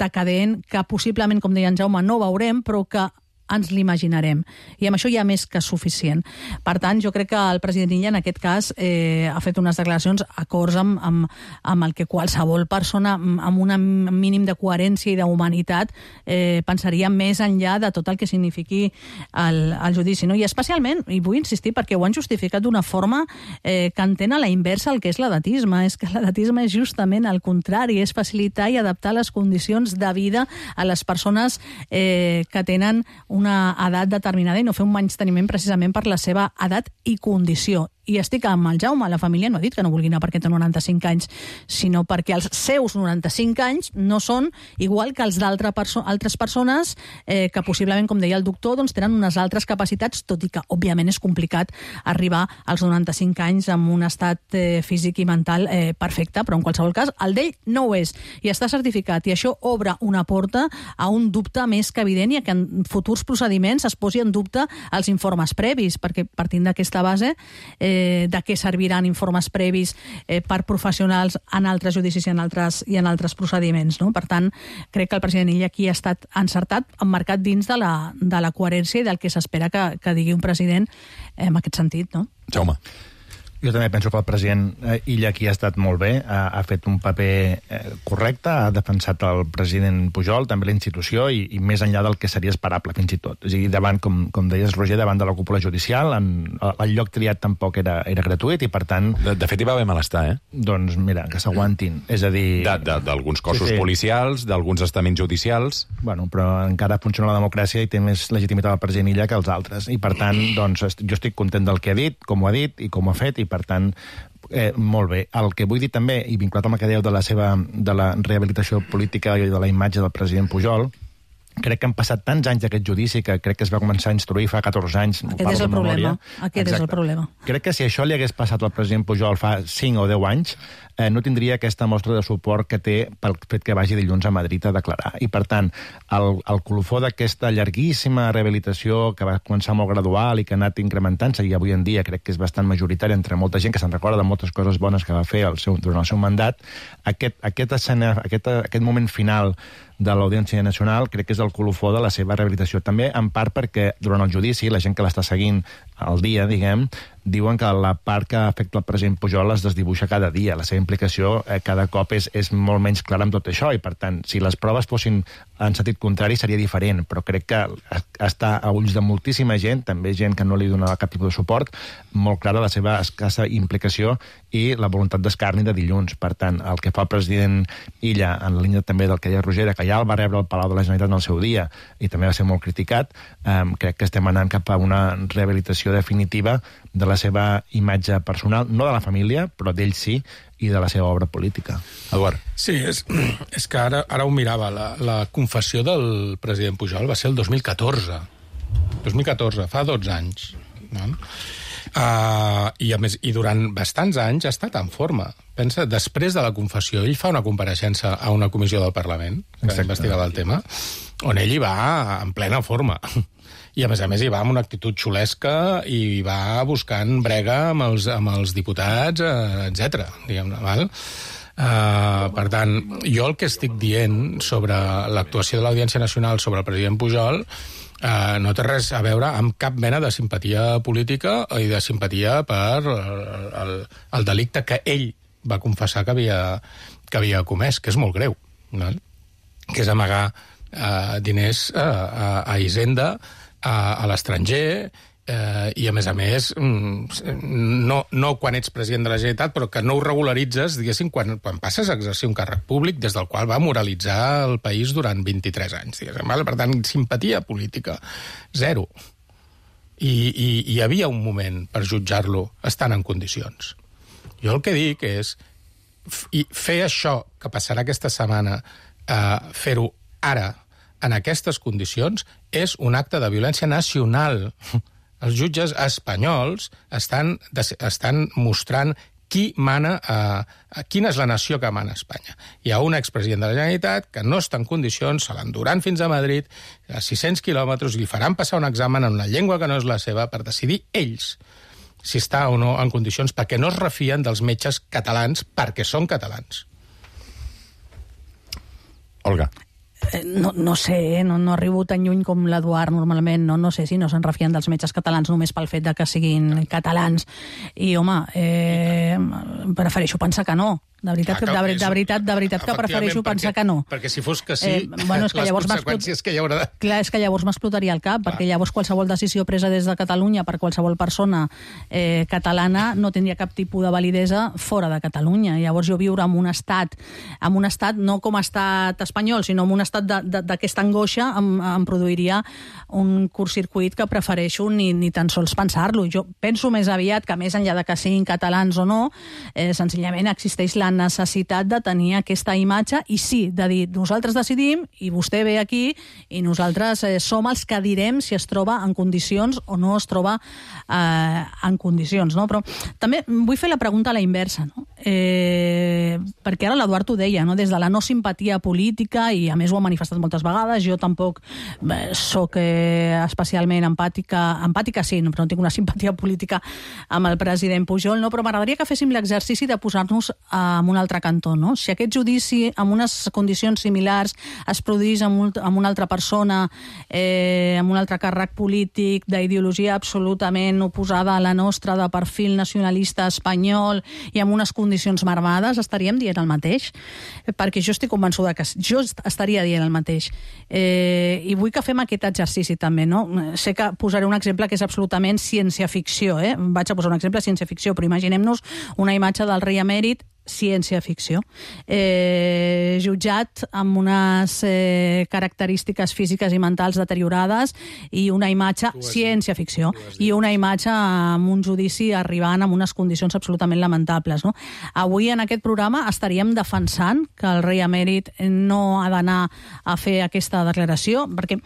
Speaker 10: decadent que possiblement, com deia en Jaume, no veurem, però que ens l'imaginarem. I amb això ja més que suficient. Per tant, jo crec que el president Illa, en aquest cas, eh, ha fet unes declaracions acords amb, amb, amb el que qualsevol persona amb un mínim de coherència i d'humanitat eh, pensaria més enllà de tot el que signifiqui el, el judici. No? I especialment, i vull insistir, perquè ho han justificat d'una forma eh, que entén a la inversa el que és l'edatisme. És que l'edatisme és justament el contrari, és facilitar i adaptar les condicions de vida a les persones eh, que tenen un una edat determinada i no fer un menysteniment precisament per la seva edat i condició. I estic amb el Jaume, la família no ha dit que no vulgui anar perquè té noranta-cinc anys, sinó perquè els seus noranta-cinc anys no són igual que els d'altres perso altres persones eh, que possiblement, com deia el doctor, doncs tenen unes altres capacitats, tot i que, òbviament, és complicat arribar als noranta-cinc anys amb un estat eh, físic i mental eh, perfecte, però en qualsevol cas, el d'ell no ho és, i està certificat, i això obre una porta a un dubte més que evident i a que en futurs procediments es posi en dubte els informes previs, perquè partint d'aquesta base eh, de què serviran informes previs eh, per professionals en altres judicis i en altres, i en altres procediments. No? Per tant, crec que el president Illa aquí ha estat encertat, emmarcat dins de la, de la coherència i del que s'espera que, que digui un president eh, en aquest sentit. No?
Speaker 1: Jaume.
Speaker 11: Jo també penso que el president Illa aquí ha estat molt bé, ha, ha fet un paper eh, correcte, ha defensat el president Pujol, també la institució, i, i més enllà del que seria esperable, fins i tot. És a dir, davant, com, com deies, Roger, davant de la cúpula judicial, en, el lloc triat tampoc era, era gratuït, i per tant...
Speaker 1: De, de fet, hi va haver malestar, eh?
Speaker 11: Doncs mira, que s'aguantin. És a dir...
Speaker 1: D'alguns cossos
Speaker 11: sí, sí.
Speaker 1: policials, d'alguns estaments judicials...
Speaker 11: Bueno, però encara funciona la democràcia i té més legitimitat el president Illa que els altres. I per tant, doncs, jo estic content del que ha dit, com ho ha dit i com ho ha fet, i per tant, eh, molt bé. El que vull dir també, i vinculat amb el que dèieu de la seva de la rehabilitació política i de la imatge del president Pujol, crec que han passat tants anys d'aquest judici que crec que es va començar a instruir fa catorze anys.
Speaker 10: Aquest és el problema. Aquest Exacte. és el problema.
Speaker 11: Crec que si això li hagués passat al president Pujol fa cinc o deu anys, eh, no tindria aquesta mostra de suport que té pel fet que vagi dilluns a Madrid a declarar. I, per tant, el, el colofó d'aquesta llarguíssima rehabilitació que va començar molt gradual i que ha anat incrementant-se, i avui en dia crec que és bastant majoritari entre molta gent que se'n recorda de moltes coses bones que va fer el seu, durant el seu mandat, aquest, aquest, escena, aquest, aquest moment final de l'Audiència Nacional crec que és el colofó de la seva rehabilitació. També, en part, perquè durant el judici, la gent que l'està seguint al dia, diguem, diuen que la part que afecta el president Pujol es desdibuixa cada dia. La seva implicació eh, cada cop és, és molt menys clara amb tot això, i per tant, si les proves fossin en sentit contrari seria diferent, però crec que està a ulls de moltíssima gent, també gent que no li donava cap tipus de suport, molt clara la seva escassa implicació i la voluntat d'escarni de dilluns. Per tant, el que fa el president Illa, en la línia també del que deia Roger, que ja el va rebre al Palau de la Generalitat en el seu dia i també va ser molt criticat, eh, crec que estem anant cap a una rehabilitació definitiva de la seva imatge personal, no de la família, però d'ell sí, i de la seva obra política.
Speaker 1: Eduard.
Speaker 4: Sí, és, és que ara, ara ho mirava. La, la confessió del president Pujol va ser el dos mil catorze. dos mil catorze, fa dotze anys. No? Uh, i, a més, I durant bastants anys ha estat en forma. Pensa, després de la confessió, ell fa una compareixença a una comissió del Parlament que Exacte. investigava el tema, on ell hi va en plena forma. I, a més a més, hi va amb una actitud xulesca i hi va buscant brega amb els, amb els diputats, eh, etcètera. Diguem-ne, val? Uh, per tant, jo el que estic dient sobre l'actuació de l'Audiència Nacional sobre el president Pujol uh, no té res a veure amb cap mena de simpatia política i de simpatia per el, el, el delicte que ell va confessar que havia, que havia comès, que és molt greu, val? Que és amagar uh, diners uh, a, a Hisenda, a, a l'estranger, eh, i a més a més no, no quan ets president de la Generalitat, però que no ho regularitzes, diguéssim, quan, quan passes a exercir un càrrec públic des del qual va moralitzar el país durant vint-i-tres anys, diguéssim. Per tant, simpatia política, zero. I, i, i hi havia un moment per jutjar-lo estant en condicions. Jo el que dic és fer això que passarà aquesta setmana, eh, fer-ho ara, en aquestes condicions, és un acte de violència nacional. Els jutges espanyols estan, estan mostrant qui mana, eh, quina és la nació que mana a Espanya. Hi ha un expresident de la Generalitat que no està en condicions, se l'enduran fins a Madrid, a sis-cents quilòmetres, i li faran passar un examen en una llengua que no és la seva per decidir ells si està o no en condicions, perquè no es refien dels metges catalans perquè són catalans.
Speaker 1: Olga.
Speaker 10: No, no sé, no, no arribo tan lluny com l'Eduard normalment, no, no sé si no se'n refien dels metges catalans només pel fet de que siguin catalans. I, home, eh, prefereixo pensar que no. De veritat, que, de, de veritat, de veritat que prefereixo pensar que no.
Speaker 4: Perquè si fos que sí,
Speaker 10: eh, bueno, és que
Speaker 4: les conseqüències que hi haurà...
Speaker 10: Clar, és que llavors m'explotaria el cap, Clar. perquè llavors qualsevol decisió presa des de Catalunya per qualsevol persona eh, catalana no tindria cap tipus de validesa fora de Catalunya. Llavors jo viure en un estat, en un estat no com a estat espanyol, sinó en un estat d'aquesta angoixa em, em produiria un curtcircuit que prefereixo ni, ni tan sols pensar-lo. Jo penso més aviat que més enllà de que siguin catalans o no, eh, senzillament existeix la necessitat de tenir aquesta imatge i sí, de dir, nosaltres decidim i vostè ve aquí i nosaltres eh, som els que direm si es troba en condicions o no es troba eh, en condicions, no? Però també vull fer la pregunta a la inversa, no? Eh, perquè ara l'Eduard ho deia, no? Des de la no simpatia política, i a més ho ha manifestat moltes vegades, jo tampoc eh, soc eh, especialment empàtica, empàtica sí, no, però no tinc una simpatia política amb el president Pujol, no? Però m'agradaria que féssim l'exercici de posar-nos a en un altre cantó, no? Si aquest judici amb unes condicions similars es produís amb, un, amb una altra persona, eh, amb un altre càrrec polític d'ideologia absolutament oposada a la nostra, de perfil nacionalista espanyol i amb unes condicions marmades, estaríem dient el mateix? Perquè jo estic convençuda que jo estaria dient el mateix. Eh, I vull que fem aquest exercici també, no? Sé que posaré un exemple que és absolutament ciència-ficció, eh? Vaig a posar un exemple de ciència-ficció, però imaginem-nos una imatge del rei emèrit ciència-ficció, eh, jutjat amb unes eh, característiques físiques i mentals deteriorades i una imatge ciència-ficció i una imatge amb un judici arribant amb unes condicions absolutament lamentables, no? Avui en aquest programa estaríem defensant que el rei emèrit no ha d'anar a fer aquesta declaració, perquè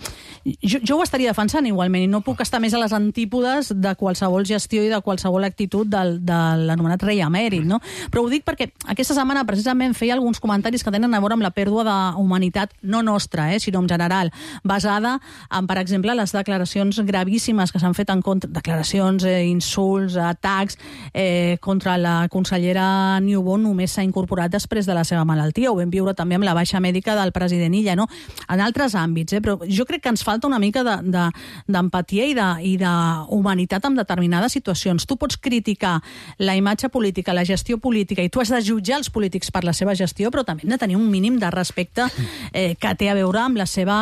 Speaker 10: jo, jo ho estaria defensant igualment i no puc estar més a les antípodes de qualsevol gestió i de qualsevol actitud del, de l'anomenat rei emèrit, no? Però ho dic perquè aquesta setmana precisament feia alguns comentaris que tenen a veure amb la pèrdua d'humanitat, no nostra, eh, sinó en general, basada en, per exemple, les declaracions gravíssimes que s'han fet en contra, declaracions, eh, insults, atacs eh, contra la consellera Niubó només s'ha incorporat després de la seva malaltia. Ho vam viure també amb la baixa mèdica del president Illa, no? En altres àmbits, eh, però jo crec que ens falta una mica d'empatia de, de, i d'humanitat en determinades situacions. Tu pots criticar la imatge política, la gestió política, i tu has de jutjar els polítics per la seva gestió, però també hem de tenir un mínim de respecte eh, que té a veure amb la seva,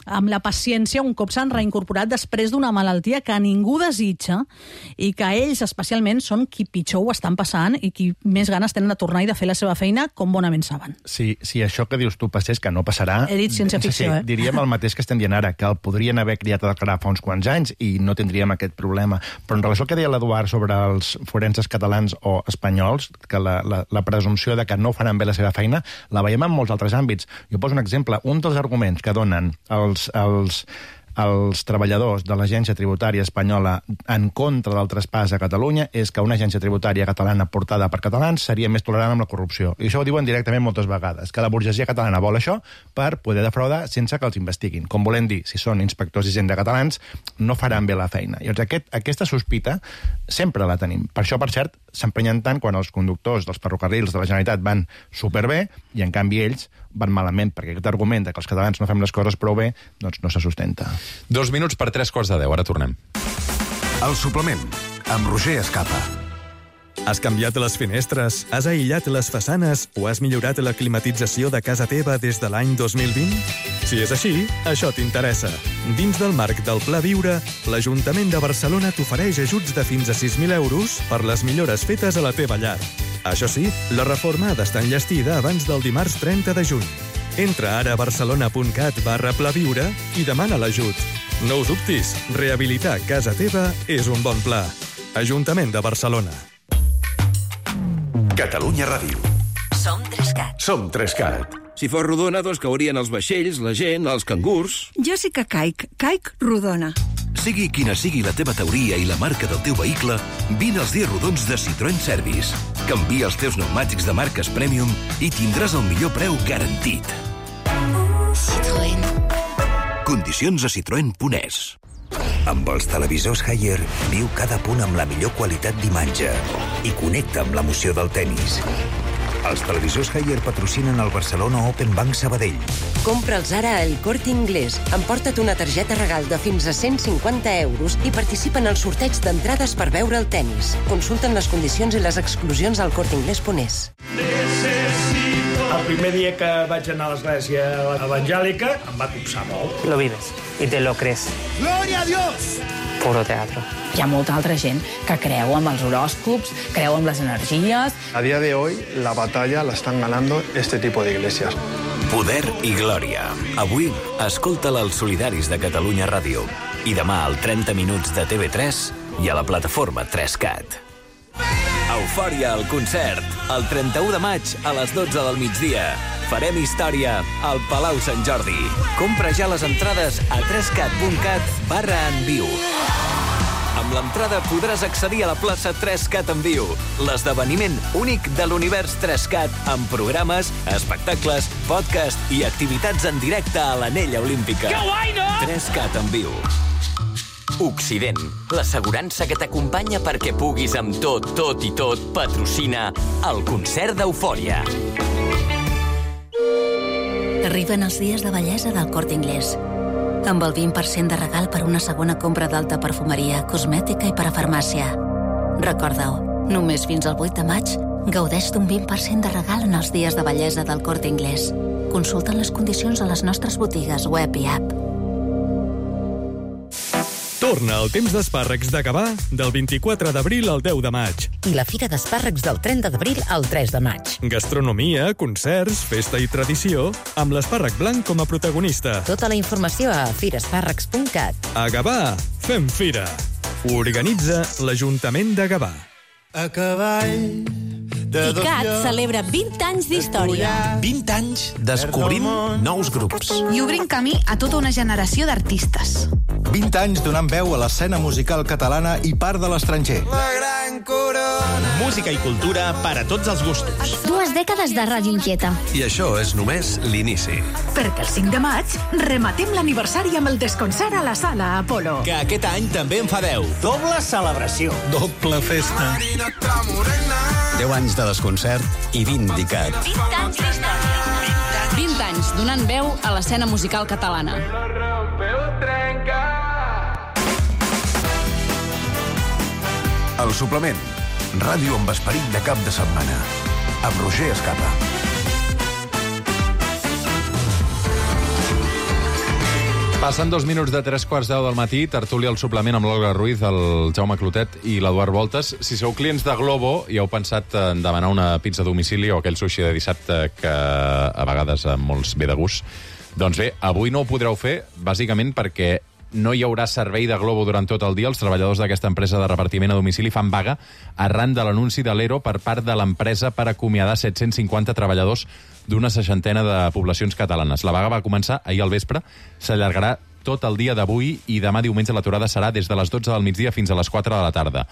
Speaker 10: amb la paciència un cop s'han reincorporat després d'una malaltia que ningú desitja i que ells especialment són qui pitjor ho estan passant i qui més ganes tenen de tornar i de fer la seva feina com bonament saben.
Speaker 11: Si, si això que dius tu passés, que no passarà...
Speaker 10: He dit ciència-ficció,
Speaker 11: sí,
Speaker 10: eh?
Speaker 11: Diríem el mateix que estem dient ara, que el podrien haver criat a declarar fa uns quants anys i no tindríem aquest problema. Però en relació al que deia l'Eduard sobre els forenses catalans o espanyols, que la, la, la presumpció de que no faran bé la seva feina, la veiem en molts altres àmbits. Jo poso un exemple. Un dels arguments que donen els, els, els treballadors de l'agència tributària espanyola en contra del traspàs a Catalunya és que una agència tributària catalana portada per catalans seria més tolerant amb la corrupció. I això ho diuen directament moltes vegades, que la burgesia catalana vol això per poder defraudar sense que els investiguin. Com volem dir, si són inspectors i gent de catalans, no faran bé la feina. I llavors aquest, aquesta sospita sempre la tenim. Per això, per cert, s'empenyen tant quan els conductors dels ferrocarrils de la Generalitat van superbé i, en canvi, ells van malament, perquè aquest argument de que els catalans no fem les coses prou bé, doncs no se sustenta.
Speaker 1: Dos minuts per tres quarts de deu, ara tornem.
Speaker 2: El suplement, amb Roger Escapa.
Speaker 16: Has canviat les finestres, has aïllat les façanes o has millorat la climatització de casa teva des de l'any dos mil vint? Si és així, això t'interessa. Dins del marc del Pla Viure, l'Ajuntament de Barcelona t'ofereix ajuts de fins a sis mil euros per les millores fetes a la teva llar. Això sí, la reforma ha d'estar enllestida abans del dimarts trenta de juny. Entra ara a barcelona.cat barra plaviure i demana l'ajut. No ho dubtis, rehabilitar casa teva és un bon pla. Ajuntament de Barcelona.
Speaker 2: Catalunya Ràdio.
Speaker 17: Som Trescat.
Speaker 2: Som Trescat.
Speaker 18: Si fos rodona, doncs caurien els vaixells, la gent, els cangurs.
Speaker 17: Jo sí que caic. Caic rodona. Sigui quina sigui la teva teoria i la marca del teu vehicle, vine als dies rodons de Citroën Service. Canvia els teus pneumàtics de marques Premium i tindràs el millor preu garantit.
Speaker 18: Citroën.
Speaker 17: Condicions a citroen punt es.
Speaker 19: Amb els televisors Haier, viu cada punt amb la millor qualitat d'imatge i connecta amb l'emoció del tennis. Els televisors Haier patrocinen el Barcelona Open Bank Sabadell.
Speaker 18: Compra'ls ara al Corte Inglés. Emporta't una targeta regal de fins a cent cinquanta euros i participa en el sorteig d'entrades per veure el tennis. Consulten les condicions i les exclusions al corte inglés punt es.
Speaker 20: El primer dia que vaig anar a l'església evangèlica em va copsar molt.
Speaker 21: Lo vives y te lo crees.
Speaker 20: Gloria a Dios!
Speaker 21: Puro teatro.
Speaker 22: Hi ha molta altra gent que creu amb els horòscops, creu amb les energies.
Speaker 23: A día de hoy, la batalla la están ganando este tipo de iglesias.
Speaker 24: Poder i glòria. Avui, escolta-la als Solidaris de Catalunya Ràdio. I demà al trenta minuts de T V tres i a la plataforma tres cat. Eufòria al concert. El trenta-u de maig a les dotze del migdia. Farem història al Palau Sant Jordi. Compra ja les entrades a tres cat punt cat barra en viu. Amb l'entrada podràs accedir a la plaça tres cat en viu, l'esdeveniment únic de l'univers tres cat, amb programes, espectacles, podcast i activitats en directe a l'Anella Olímpica.
Speaker 25: Que guai, no?
Speaker 24: tres cat en viu.
Speaker 25: Occident, l'assegurança que t'acompanya perquè puguis amb tot, tot i tot patrocina el concert d'Eufòria.
Speaker 26: Arriben els dies de bellesa del Corte Inglés. Amb el vint per cent de regal per una segona compra d'alta perfumeria, cosmètica i parafarmàcia. Recorda-ho, només fins al vuit de maig gaudeix d'un vint per cent de regal en els dies de bellesa del Corte Inglés. Consulta les condicions a les nostres botigues web i app.
Speaker 16: Torna el temps d'espàrrecs de Gavà del vint-i-quatre d'abril al deu de maig.
Speaker 27: I la Fira d'Espàrrecs del trenta d'abril al tres de maig.
Speaker 16: Gastronomia, concerts, festa i tradició, amb l'espàrrec blanc com a protagonista.
Speaker 27: Tota la informació a firespàrrecs punt cat.
Speaker 16: A Gavà, fem fira. Organitza l'Ajuntament de Gavà.
Speaker 28: A cavall...
Speaker 29: ICAT celebra vint anys d'història.
Speaker 30: vint anys descobrint nous grups.
Speaker 29: I obrint camí a tota una generació d'artistes.
Speaker 30: vint anys donant veu a l'escena musical catalana i part de l'estranger.
Speaker 28: La gran corona.
Speaker 30: Música i cultura per a tots els gustos.
Speaker 29: Dues dècades de Ràdio Inquieta.
Speaker 17: I això és només l'inici.
Speaker 29: Perquè el cinc de maig rematem l'aniversari amb el desconcert a la Sala Apolo.
Speaker 30: Que aquest any també en fa deu.
Speaker 28: Doble celebració.
Speaker 30: Doble festa.
Speaker 28: deu anys de desconcert i vint d'ICAT.
Speaker 29: vint anys d'història. vint anys donant veu a l'escena musical catalana.
Speaker 2: El suplement. Ràdio amb esperit de cap de setmana. Amb Roger Escapa.
Speaker 1: Passen dos minuts de tres quarts deu del matí, tertúlia al suplement amb l'Olga Ruiz, el Jaume Clotet i l'Eduard Voltes. Si sou clients de Globo i heu pensat en demanar una pizza a domicili o aquell sushi de dissabte que a vegades a molts ve de gust, doncs bé, avui no ho podreu fer, bàsicament perquè no hi haurà servei de Globo durant tot el dia. Els treballadors d'aquesta empresa de repartiment a domicili fan vaga arran de l'anunci de l'E R O per part de l'empresa per acomiadar set-cents cinquanta treballadors d'una seixantena de poblacions catalanes. La vaga va començar ahir al vespre, s'allargarà tot el dia d'avui i demà diumenge l'aturada serà des de les dotze del migdia fins a les quatre de la tarda.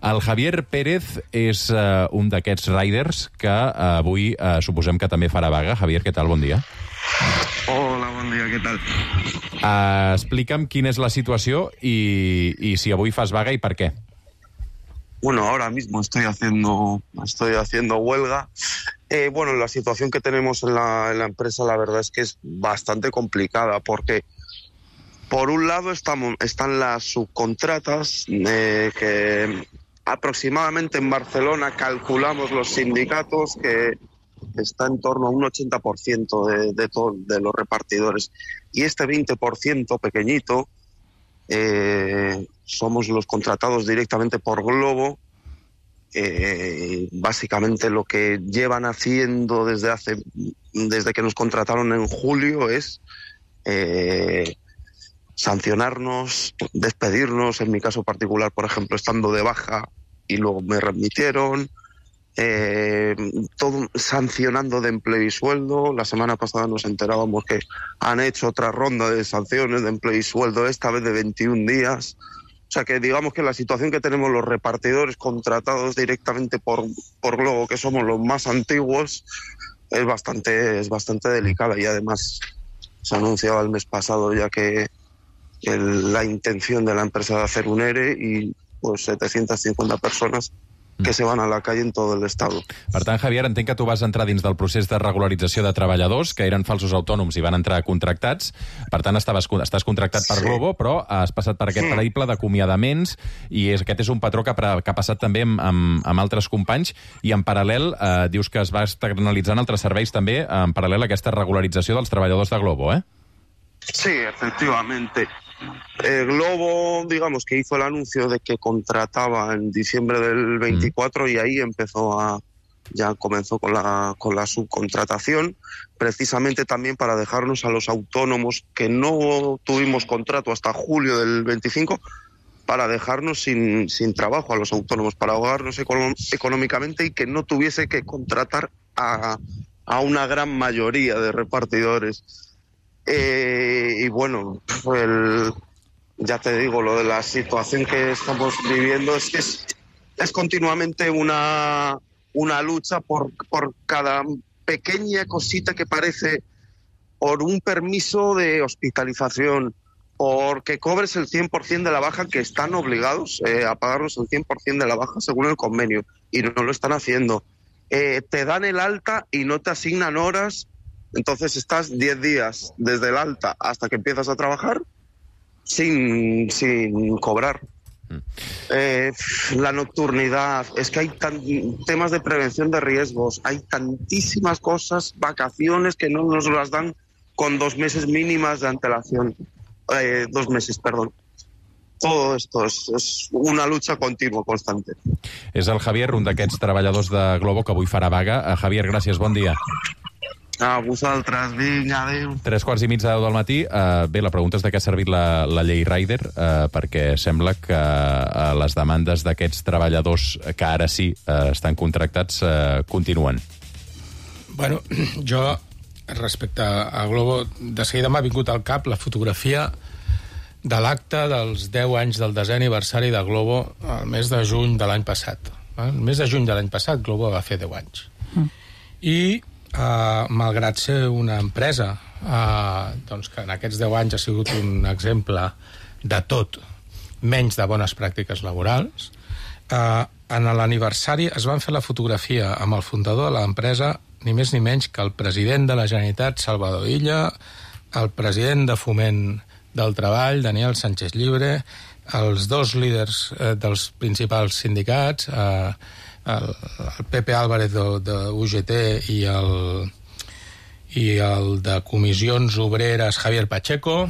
Speaker 1: El Javier Pérez és uh, un d'aquests riders que uh, avui uh, suposem que també farà vaga. Javier, què tal? Bon dia.
Speaker 31: Hola, bon dia, què tal?
Speaker 1: Uh, explica'm quina és la situació y, y si avui fas vaga y per qué.
Speaker 31: Bueno, ahora mismo estoy haciendo, estoy haciendo huelga. Eh, bueno, la situación que tenemos en la, en la empresa, la verdad es que es bastante complicada porque, por un lado, estamos, están las subcontratas eh, que aproximadamente en Barcelona calculamos los sindicatos que está en torno a un ochenta por ciento de, de, todo, de los repartidores. Y este veinte por ciento pequeñito eh, somos los contratados directamente por Globo. Eh, básicamente lo que llevan haciendo desde hace desde que nos contrataron en julio es eh, sancionarnos, despedirnos, en mi caso particular, por ejemplo, estando de baja y luego me remitieron. eh, todo sancionando de empleo y sueldo. La semana pasada nos enterábamos que han hecho otra ronda de sanciones de empleo y sueldo, esta vez de veintiún días. O sea que digamos que la situación que tenemos los repartidores contratados directamente por, por Globo, que somos los más antiguos, es bastante, es bastante delicada, y además se ha anunciado el mes pasado ya que el, la intención de la empresa de hacer un ERE y pues setecientas cincuenta personas que se van a la calle en todo el estado.
Speaker 1: Per tant, Javier, entenc que tu vas entrar dins del procés de regularització de treballadors que eren falsos autònoms i van entrar contractats. Per tant, estaves, estàs contractat per
Speaker 31: Sí.
Speaker 1: Globo, però has passat per aquest
Speaker 31: Mm.
Speaker 1: periple d'acomiadaments i és, aquest és un patró que, que ha passat també amb, amb, amb altres companys, i en paral·lel eh, dius que es va externalitzant altres serveis també en paral·lel a aquesta regularització dels treballadors de Globo, eh?
Speaker 31: Sí, efectivamente. El Globo, digamos, que hizo el anuncio de que contrataba en diciembre del veinticuatro, mm. y ahí empezó a, ya comenzó con la, con la subcontratación, precisamente también para dejarnos a los autónomos que no tuvimos contrato hasta julio del veinticinco, para dejarnos sin, sin trabajo a los autónomos, para ahogarnos econom- económicamente y que no tuviese que contratar a, a una gran mayoría de repartidores. Eh, y bueno, el, ya te digo, lo de la situación que estamos viviendo es que es, es continuamente una, una lucha por, por cada pequeña cosita que parece, por un permiso de hospitalización, porque cobres el cien por ciento de la baja, que están obligados eh, a pagarnos el cien por ciento de la baja según el convenio, y no lo están haciendo. Eh, te dan el alta y no te asignan horas. Entonces estás diez días desde el alta hasta que empiezas a trabajar sin, sin cobrar. Eh, la nocturnidad, es que hay tan, temas de prevención de riesgos, hay tantísimas cosas, vacaciones que no nos las dan con dos meses mínimas de antelación. Eh, dos meses, perdón. Todo esto es, és una lucha continua, constante.
Speaker 1: És el Javier, un d'aquests treballadors de Globo que avui farà vaga. Uh, Javier, gràcies, bon dia.
Speaker 31: A vosaltres, vinga, adéu.
Speaker 1: Tres quarts i mig de deu del matí. Uh, bé, la pregunta és de què ha servit la, la llei Rider, uh, perquè sembla que uh, les demandes d'aquests treballadors que ara sí uh, estan contractats uh, continuen.
Speaker 3: Bueno, jo, respecte a Globo, de seguida m'ha vingut al cap la fotografia de l'acte dels deu anys del desè aniversari de Globo al mes de juny de l'any passat. El mes de juny de l'any passat Globo va fer deu anys. Mm. I Uh, malgrat ser una empresa uh, doncs que en aquests deu anys ha sigut un exemple de tot menys de bones pràctiques laborals, uh, en l'aniversari es van fer la fotografia amb el fundador de l'empresa, ni més ni menys que el president de la Generalitat, Salvador Illa, el president de Foment del Treball, Daniel Sánchez Llibre, els dos líders uh, dels principals sindicats, uh, el, el Pepe Álvarez de, de U G T i el, i el de Comissions Obreres Javier Pacheco.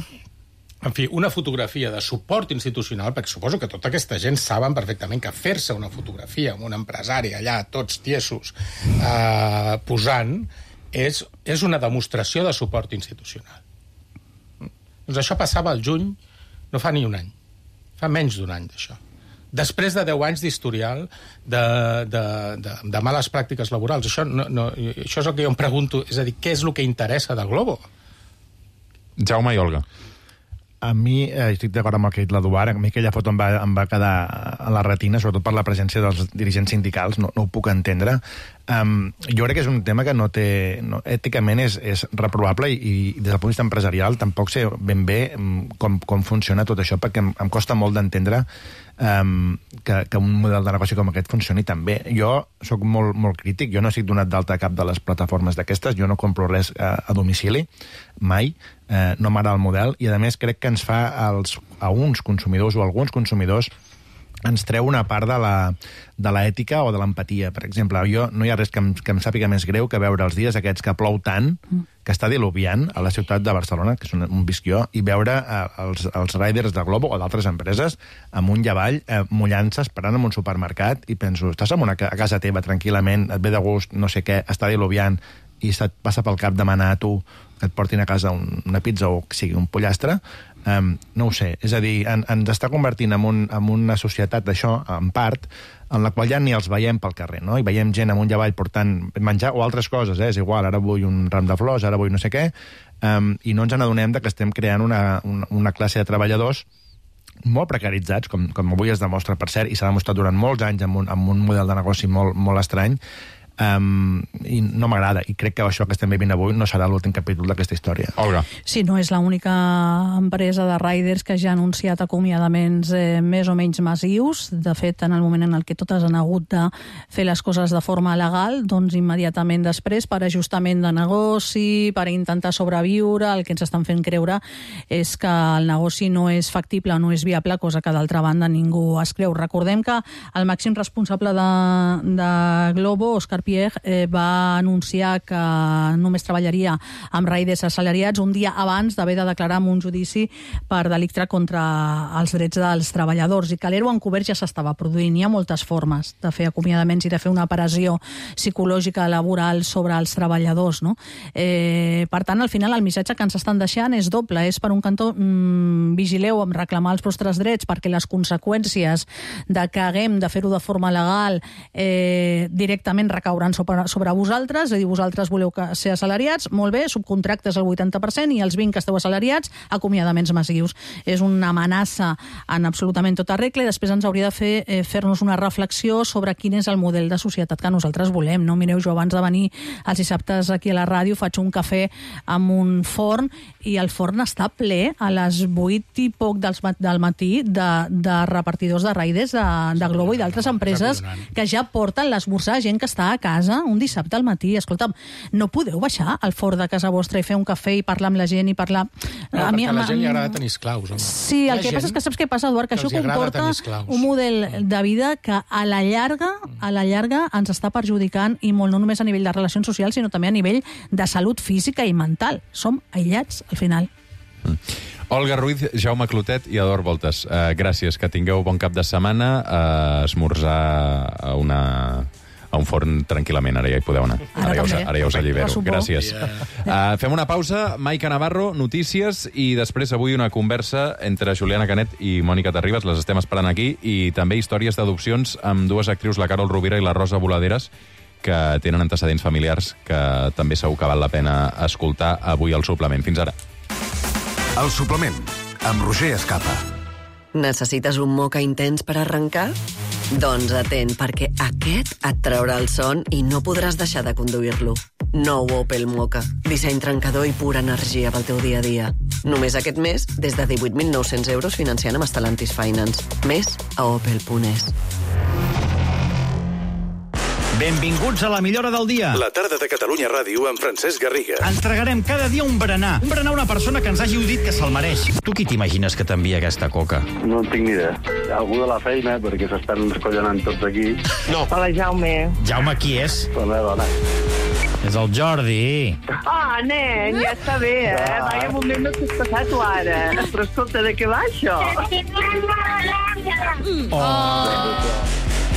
Speaker 3: En fi, una fotografia de suport institucional, perquè suposo que tota aquesta gent saben perfectament que fer-se una fotografia amb un empresari allà, tots tiesos, eh, posant, és, és una demostració de suport institucional. Doncs això passava al juny, no fa ni un any, fa menys d'un any d'això. Després de deu anys d'historial de, de, de, de males pràctiques laborals. Això, no, no, això és el que jo em pregunto. És a dir, què és el que interessa de Globo?
Speaker 1: Jaume i Olga.
Speaker 11: A mi, eh, estic d'acord amb el que ha dit l'Eduard, a mi aquella foto em va, em va quedar a la retina, sobretot per la presència dels dirigents sindicals, no, no ho puc entendre. Um, jo crec que és un tema que no té... No, èticament és, és reprovable i, i des del punt de vista empresarial tampoc sé ben bé com, com funciona tot això, perquè em, em costa molt d'entendre um, que, que un model de negoci com aquest funcioni tan bé. Jo sóc molt, molt crític, jo no estic donat d'alta a cap de les plataformes d'aquestes, jo no compro res a, a domicili, mai, eh, no m'agrada el model, i a més crec que ens fa als, a uns consumidors o a alguns consumidors ens treu una part de la, de l'ètica o de l'empatia. Per exemple, jo no hi ha res que em, que em sàpiga més greu que veure els dies aquests que plou tant, que està diluviant a la ciutat de Barcelona, que és un, un visc jo, i veure eh, els, els riders de Globo o d'altres empreses amunt i avall, eh, mullant-se, esperant en un supermercat, i penso, estàs en una, a casa teva tranquil·lament, et ve de gust, no sé què, està diluviant, i se't passa pel cap demanar a tu que et portin a casa un, una pizza o que sigui un pollastre, Um, no ho sé, és a dir, en, ens està convertint en, un, en una societat d'això, en part, en la qual ja ni els veiem pel carrer, no? I veiem gent amunt i avall portant menjar o altres coses, eh? És igual, ara vull un ram de flors, ara vull no sé què, um, i no ens n'adonem que estem creant una, una, una classe de treballadors molt precaritzats, com, com avui es demostra, per cert, i s'ha demostrat durant molts anys amb un, amb un model de negoci molt, molt estrany, Um, i no m'agrada, i crec que això que estem vivint avui no serà l'últim capítol d'aquesta història.
Speaker 1: Olga.
Speaker 4: Sí, no és l'única empresa de riders que ja ha anunciat acomiadaments eh, més o menys massius. De fet, en el moment en el que totes han hagut de fer les coses de forma legal, doncs immediatament després, per ajustament de negoci, per intentar sobreviure, el que ens estan fent creure és que el negoci no és factible, no és viable, cosa que d'altra banda ningú es creu. Recordem que el màxim responsable de, de Glovo, Òscar Pierre, eh, va anunciar que només treballaria amb riders assalariats un dia abans d'haver de declarar en un judici per delicte contra els drets dels treballadors, i que l'E R O encobert ja s'estava produint. Hi ha moltes formes de fer acomiadaments i de fer una operació psicològica laboral sobre els treballadors, no? Eh, per tant, al final, el missatge que ens estan deixant és doble. És, per un cantó, mmm, vigileu amb reclamar els vostres drets, perquè les conseqüències de que haguem de fer-ho de forma legal eh, directament recauran sobre, sobre vosaltres, és a dir, vosaltres voleu que ser assalariats, molt bé, subcontractes el vuitanta per cent i els vint que esteu assalariats, acomiadaments massius. És una amenaça en absolutament tota regla, i després ens hauria de fer eh, fer-nos una reflexió sobre quin és el model de societat que nosaltres volem. No? Mireu, jo abans de venir els dissabtes aquí a la ràdio faig un cafè amb un forn, i el forn està ple a les vuit i poc dels, del matí de, de repartidors de riders de, de Glovo i d'altres empreses que ja porten l'esmorzar a gent que està a casa un dissabte al matí. Escolta'm, no podeu baixar al forn de casa vostra i fer un cafè i parlar amb la gent i parlar...
Speaker 3: No, a mi, a la gent li agrada tenir esclaus, home.
Speaker 4: Sí, el que passa és que saps què passa, Eduard? Que, que això comporta un model de vida que a la llarga, a la llarga ens està perjudicant, i molt, no només a nivell de relacions socials, sinó també a nivell de salut física i mental. Som aïllats, al final.
Speaker 1: Mm. Olga Ruiz, Jaume Clotet i Eduard Voltes, uh, gràcies, que tingueu bon cap de setmana, a uh, esmorzar a una... a un forn tranquil·lament, ara ja hi podeu anar. Ara, ara, ja, us, ara ja us allibero. Gràcies. Uh, fem una pausa. Maica Navarro, notícies, i després avui una conversa entre Juliana Canet i Mònica Terribas, les estem esperant aquí, i també històries d'adopcions amb dues actrius, la Carol Rovira i la Rosa Voladeras, que tenen antecedents familiars que també segur que val la pena escoltar avui al suplement. Fins ara.
Speaker 2: El suplement, amb Roger Escapa.
Speaker 5: Necessites un moca intens per arrencar? Doncs atent, perquè aquest et traurà el son i no podràs deixar de conduir-lo. Nou Opel Mocha. Disseny trencador i pura energia pel teu dia a dia. Només aquest mes, des de divuit mil nou-cents euros financiant amb Stellantis Finance. Més a opel punt es.
Speaker 6: Benvinguts a la millora del dia.
Speaker 2: La tarda de Catalunya Ràdio amb Francesc Garriga.
Speaker 6: Ens tragarem cada dia un berenar. Un berenar a una persona que ens hagi dit que se'l mereix. Tu qui t'imagines que t'envia aquesta coca?
Speaker 7: No en tinc ni idea. Algú de la feina, perquè s'estan escollonant tots aquí.
Speaker 6: No.
Speaker 7: Hola, Jaume.
Speaker 6: Jaume qui és?
Speaker 7: La meva dona.
Speaker 6: És el Jordi.
Speaker 8: Ah, nen, ja està bé, eh? Vaya moment no t'has passat tu ara. Però escolta, de què va això?
Speaker 6: Oh.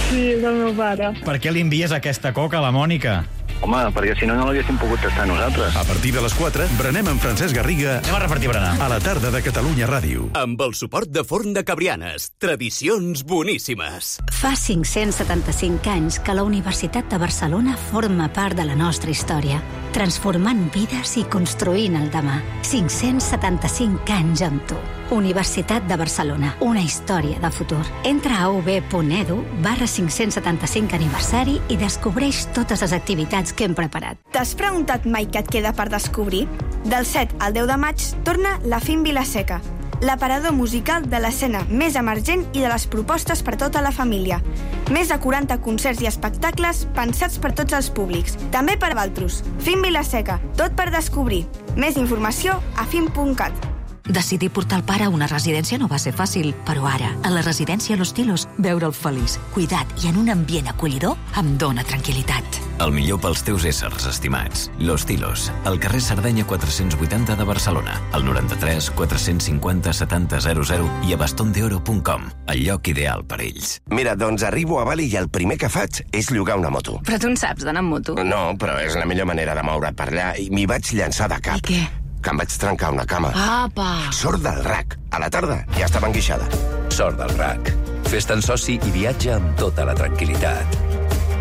Speaker 8: Sí, és el meu pare.
Speaker 6: Per què li envies aquesta coca a la Mònica?
Speaker 7: Home, perquè si no, no l'haguéssim pogut tastar nosaltres.
Speaker 2: A partir de les quatre, berenem amb Francesc Garriga.
Speaker 6: Anem a repartir berenar.
Speaker 2: A la tarda de Catalunya Ràdio.
Speaker 24: Amb el suport de Forn de Cabrianes. Tradicions boníssimes.
Speaker 26: Fa cinc-cents setanta-cinc anys que la Universitat de Barcelona forma part de la nostra història, transformant vides i construint el demà. cinc-cents setanta-cinc anys amb tu. Universitat de Barcelona, una història de futur. Entra a u be punt edu barra cinc-cents setanta-cinc aniversari i descobreix totes les activitats que hem preparat.
Speaker 9: T'has preguntat mai què et queda per descobrir? Del set al deu de maig torna La Fin Vilaseca, l'aparador musical de l'escena més emergent i de les propostes per tota la família. Més de quaranta concerts i espectacles pensats per tots els públics, també per Valtros. Fin Vilaseca, tot per descobrir. Més informació a fin punt cat.
Speaker 10: Decidir portar el pare a una residència no va ser fàcil, però ara, a la residència Los Tilos, veure'l feliç, cuidat i en un ambient acollidor em dóna tranquil·litat.
Speaker 24: El millor pels teus éssers estimats. Los Tilos, al carrer Sardenya quatre-cents vuitanta de Barcelona, al noranta-tres quatre-cents cinquanta setanta zero zero i a baston de oro punt com, el lloc ideal per ells.
Speaker 12: Mira, doncs arribo a Bali i el primer que faig és llogar una moto.
Speaker 22: Però tu en saps d'anar amb moto?
Speaker 12: No, però és la millor manera de moure't per allà i m'hi vaig llançar de cap.
Speaker 22: I què?
Speaker 12: que em vaig trencar una cama.
Speaker 29: Apa!
Speaker 12: Sort del R A C. A la tarda ja estava enguixada.
Speaker 24: Sort del R A C. Fes-te'n soci i viatja amb tota la tranquil·litat.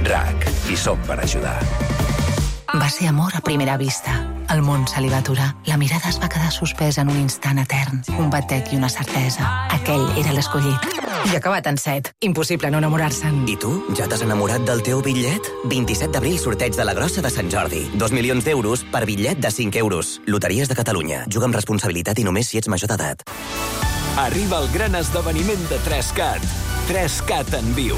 Speaker 24: R A C. Hi som per ajudar.
Speaker 10: Va ser amor a primera vista. El món se li va aturar. La mirada es va quedar suspesa en un instant etern. Un batec i una certesa. Aquell era l'escollit. I acabat en set. Impossible no enamorar-se'n.
Speaker 13: I tu? Ja t'has enamorat del teu bitllet? vint-i-set d'abril, sorteig de la grossa de Sant Jordi. Dos milions d'euros per bitllet de cinc euros. Loteries de Catalunya. Juga amb responsabilitat i només si ets major d'edat.
Speaker 24: Arriba el gran esdeveniment de tres cat. tres cat en viu.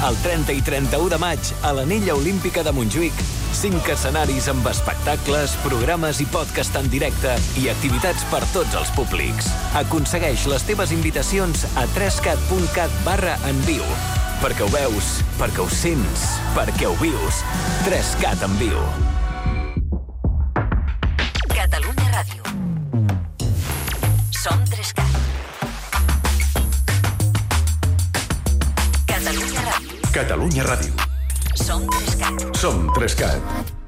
Speaker 24: El trenta i trenta-u de maig, a l'Anella Olímpica de Montjuïc, cinc escenaris amb espectacles, programes i podcast en directe i activitats per tots els públics. Aconsegueix les teves invitacions a tres cat punt cat barra en viu. Perquè ho veus, perquè ho sents, perquè ho vius. tres cat en viu.
Speaker 10: Catalunya Ràdio. Som tres cat. Catalunya Ràdio.
Speaker 2: Catalunya Ràdio.
Speaker 10: Som tres cat.
Speaker 2: Som tres cat.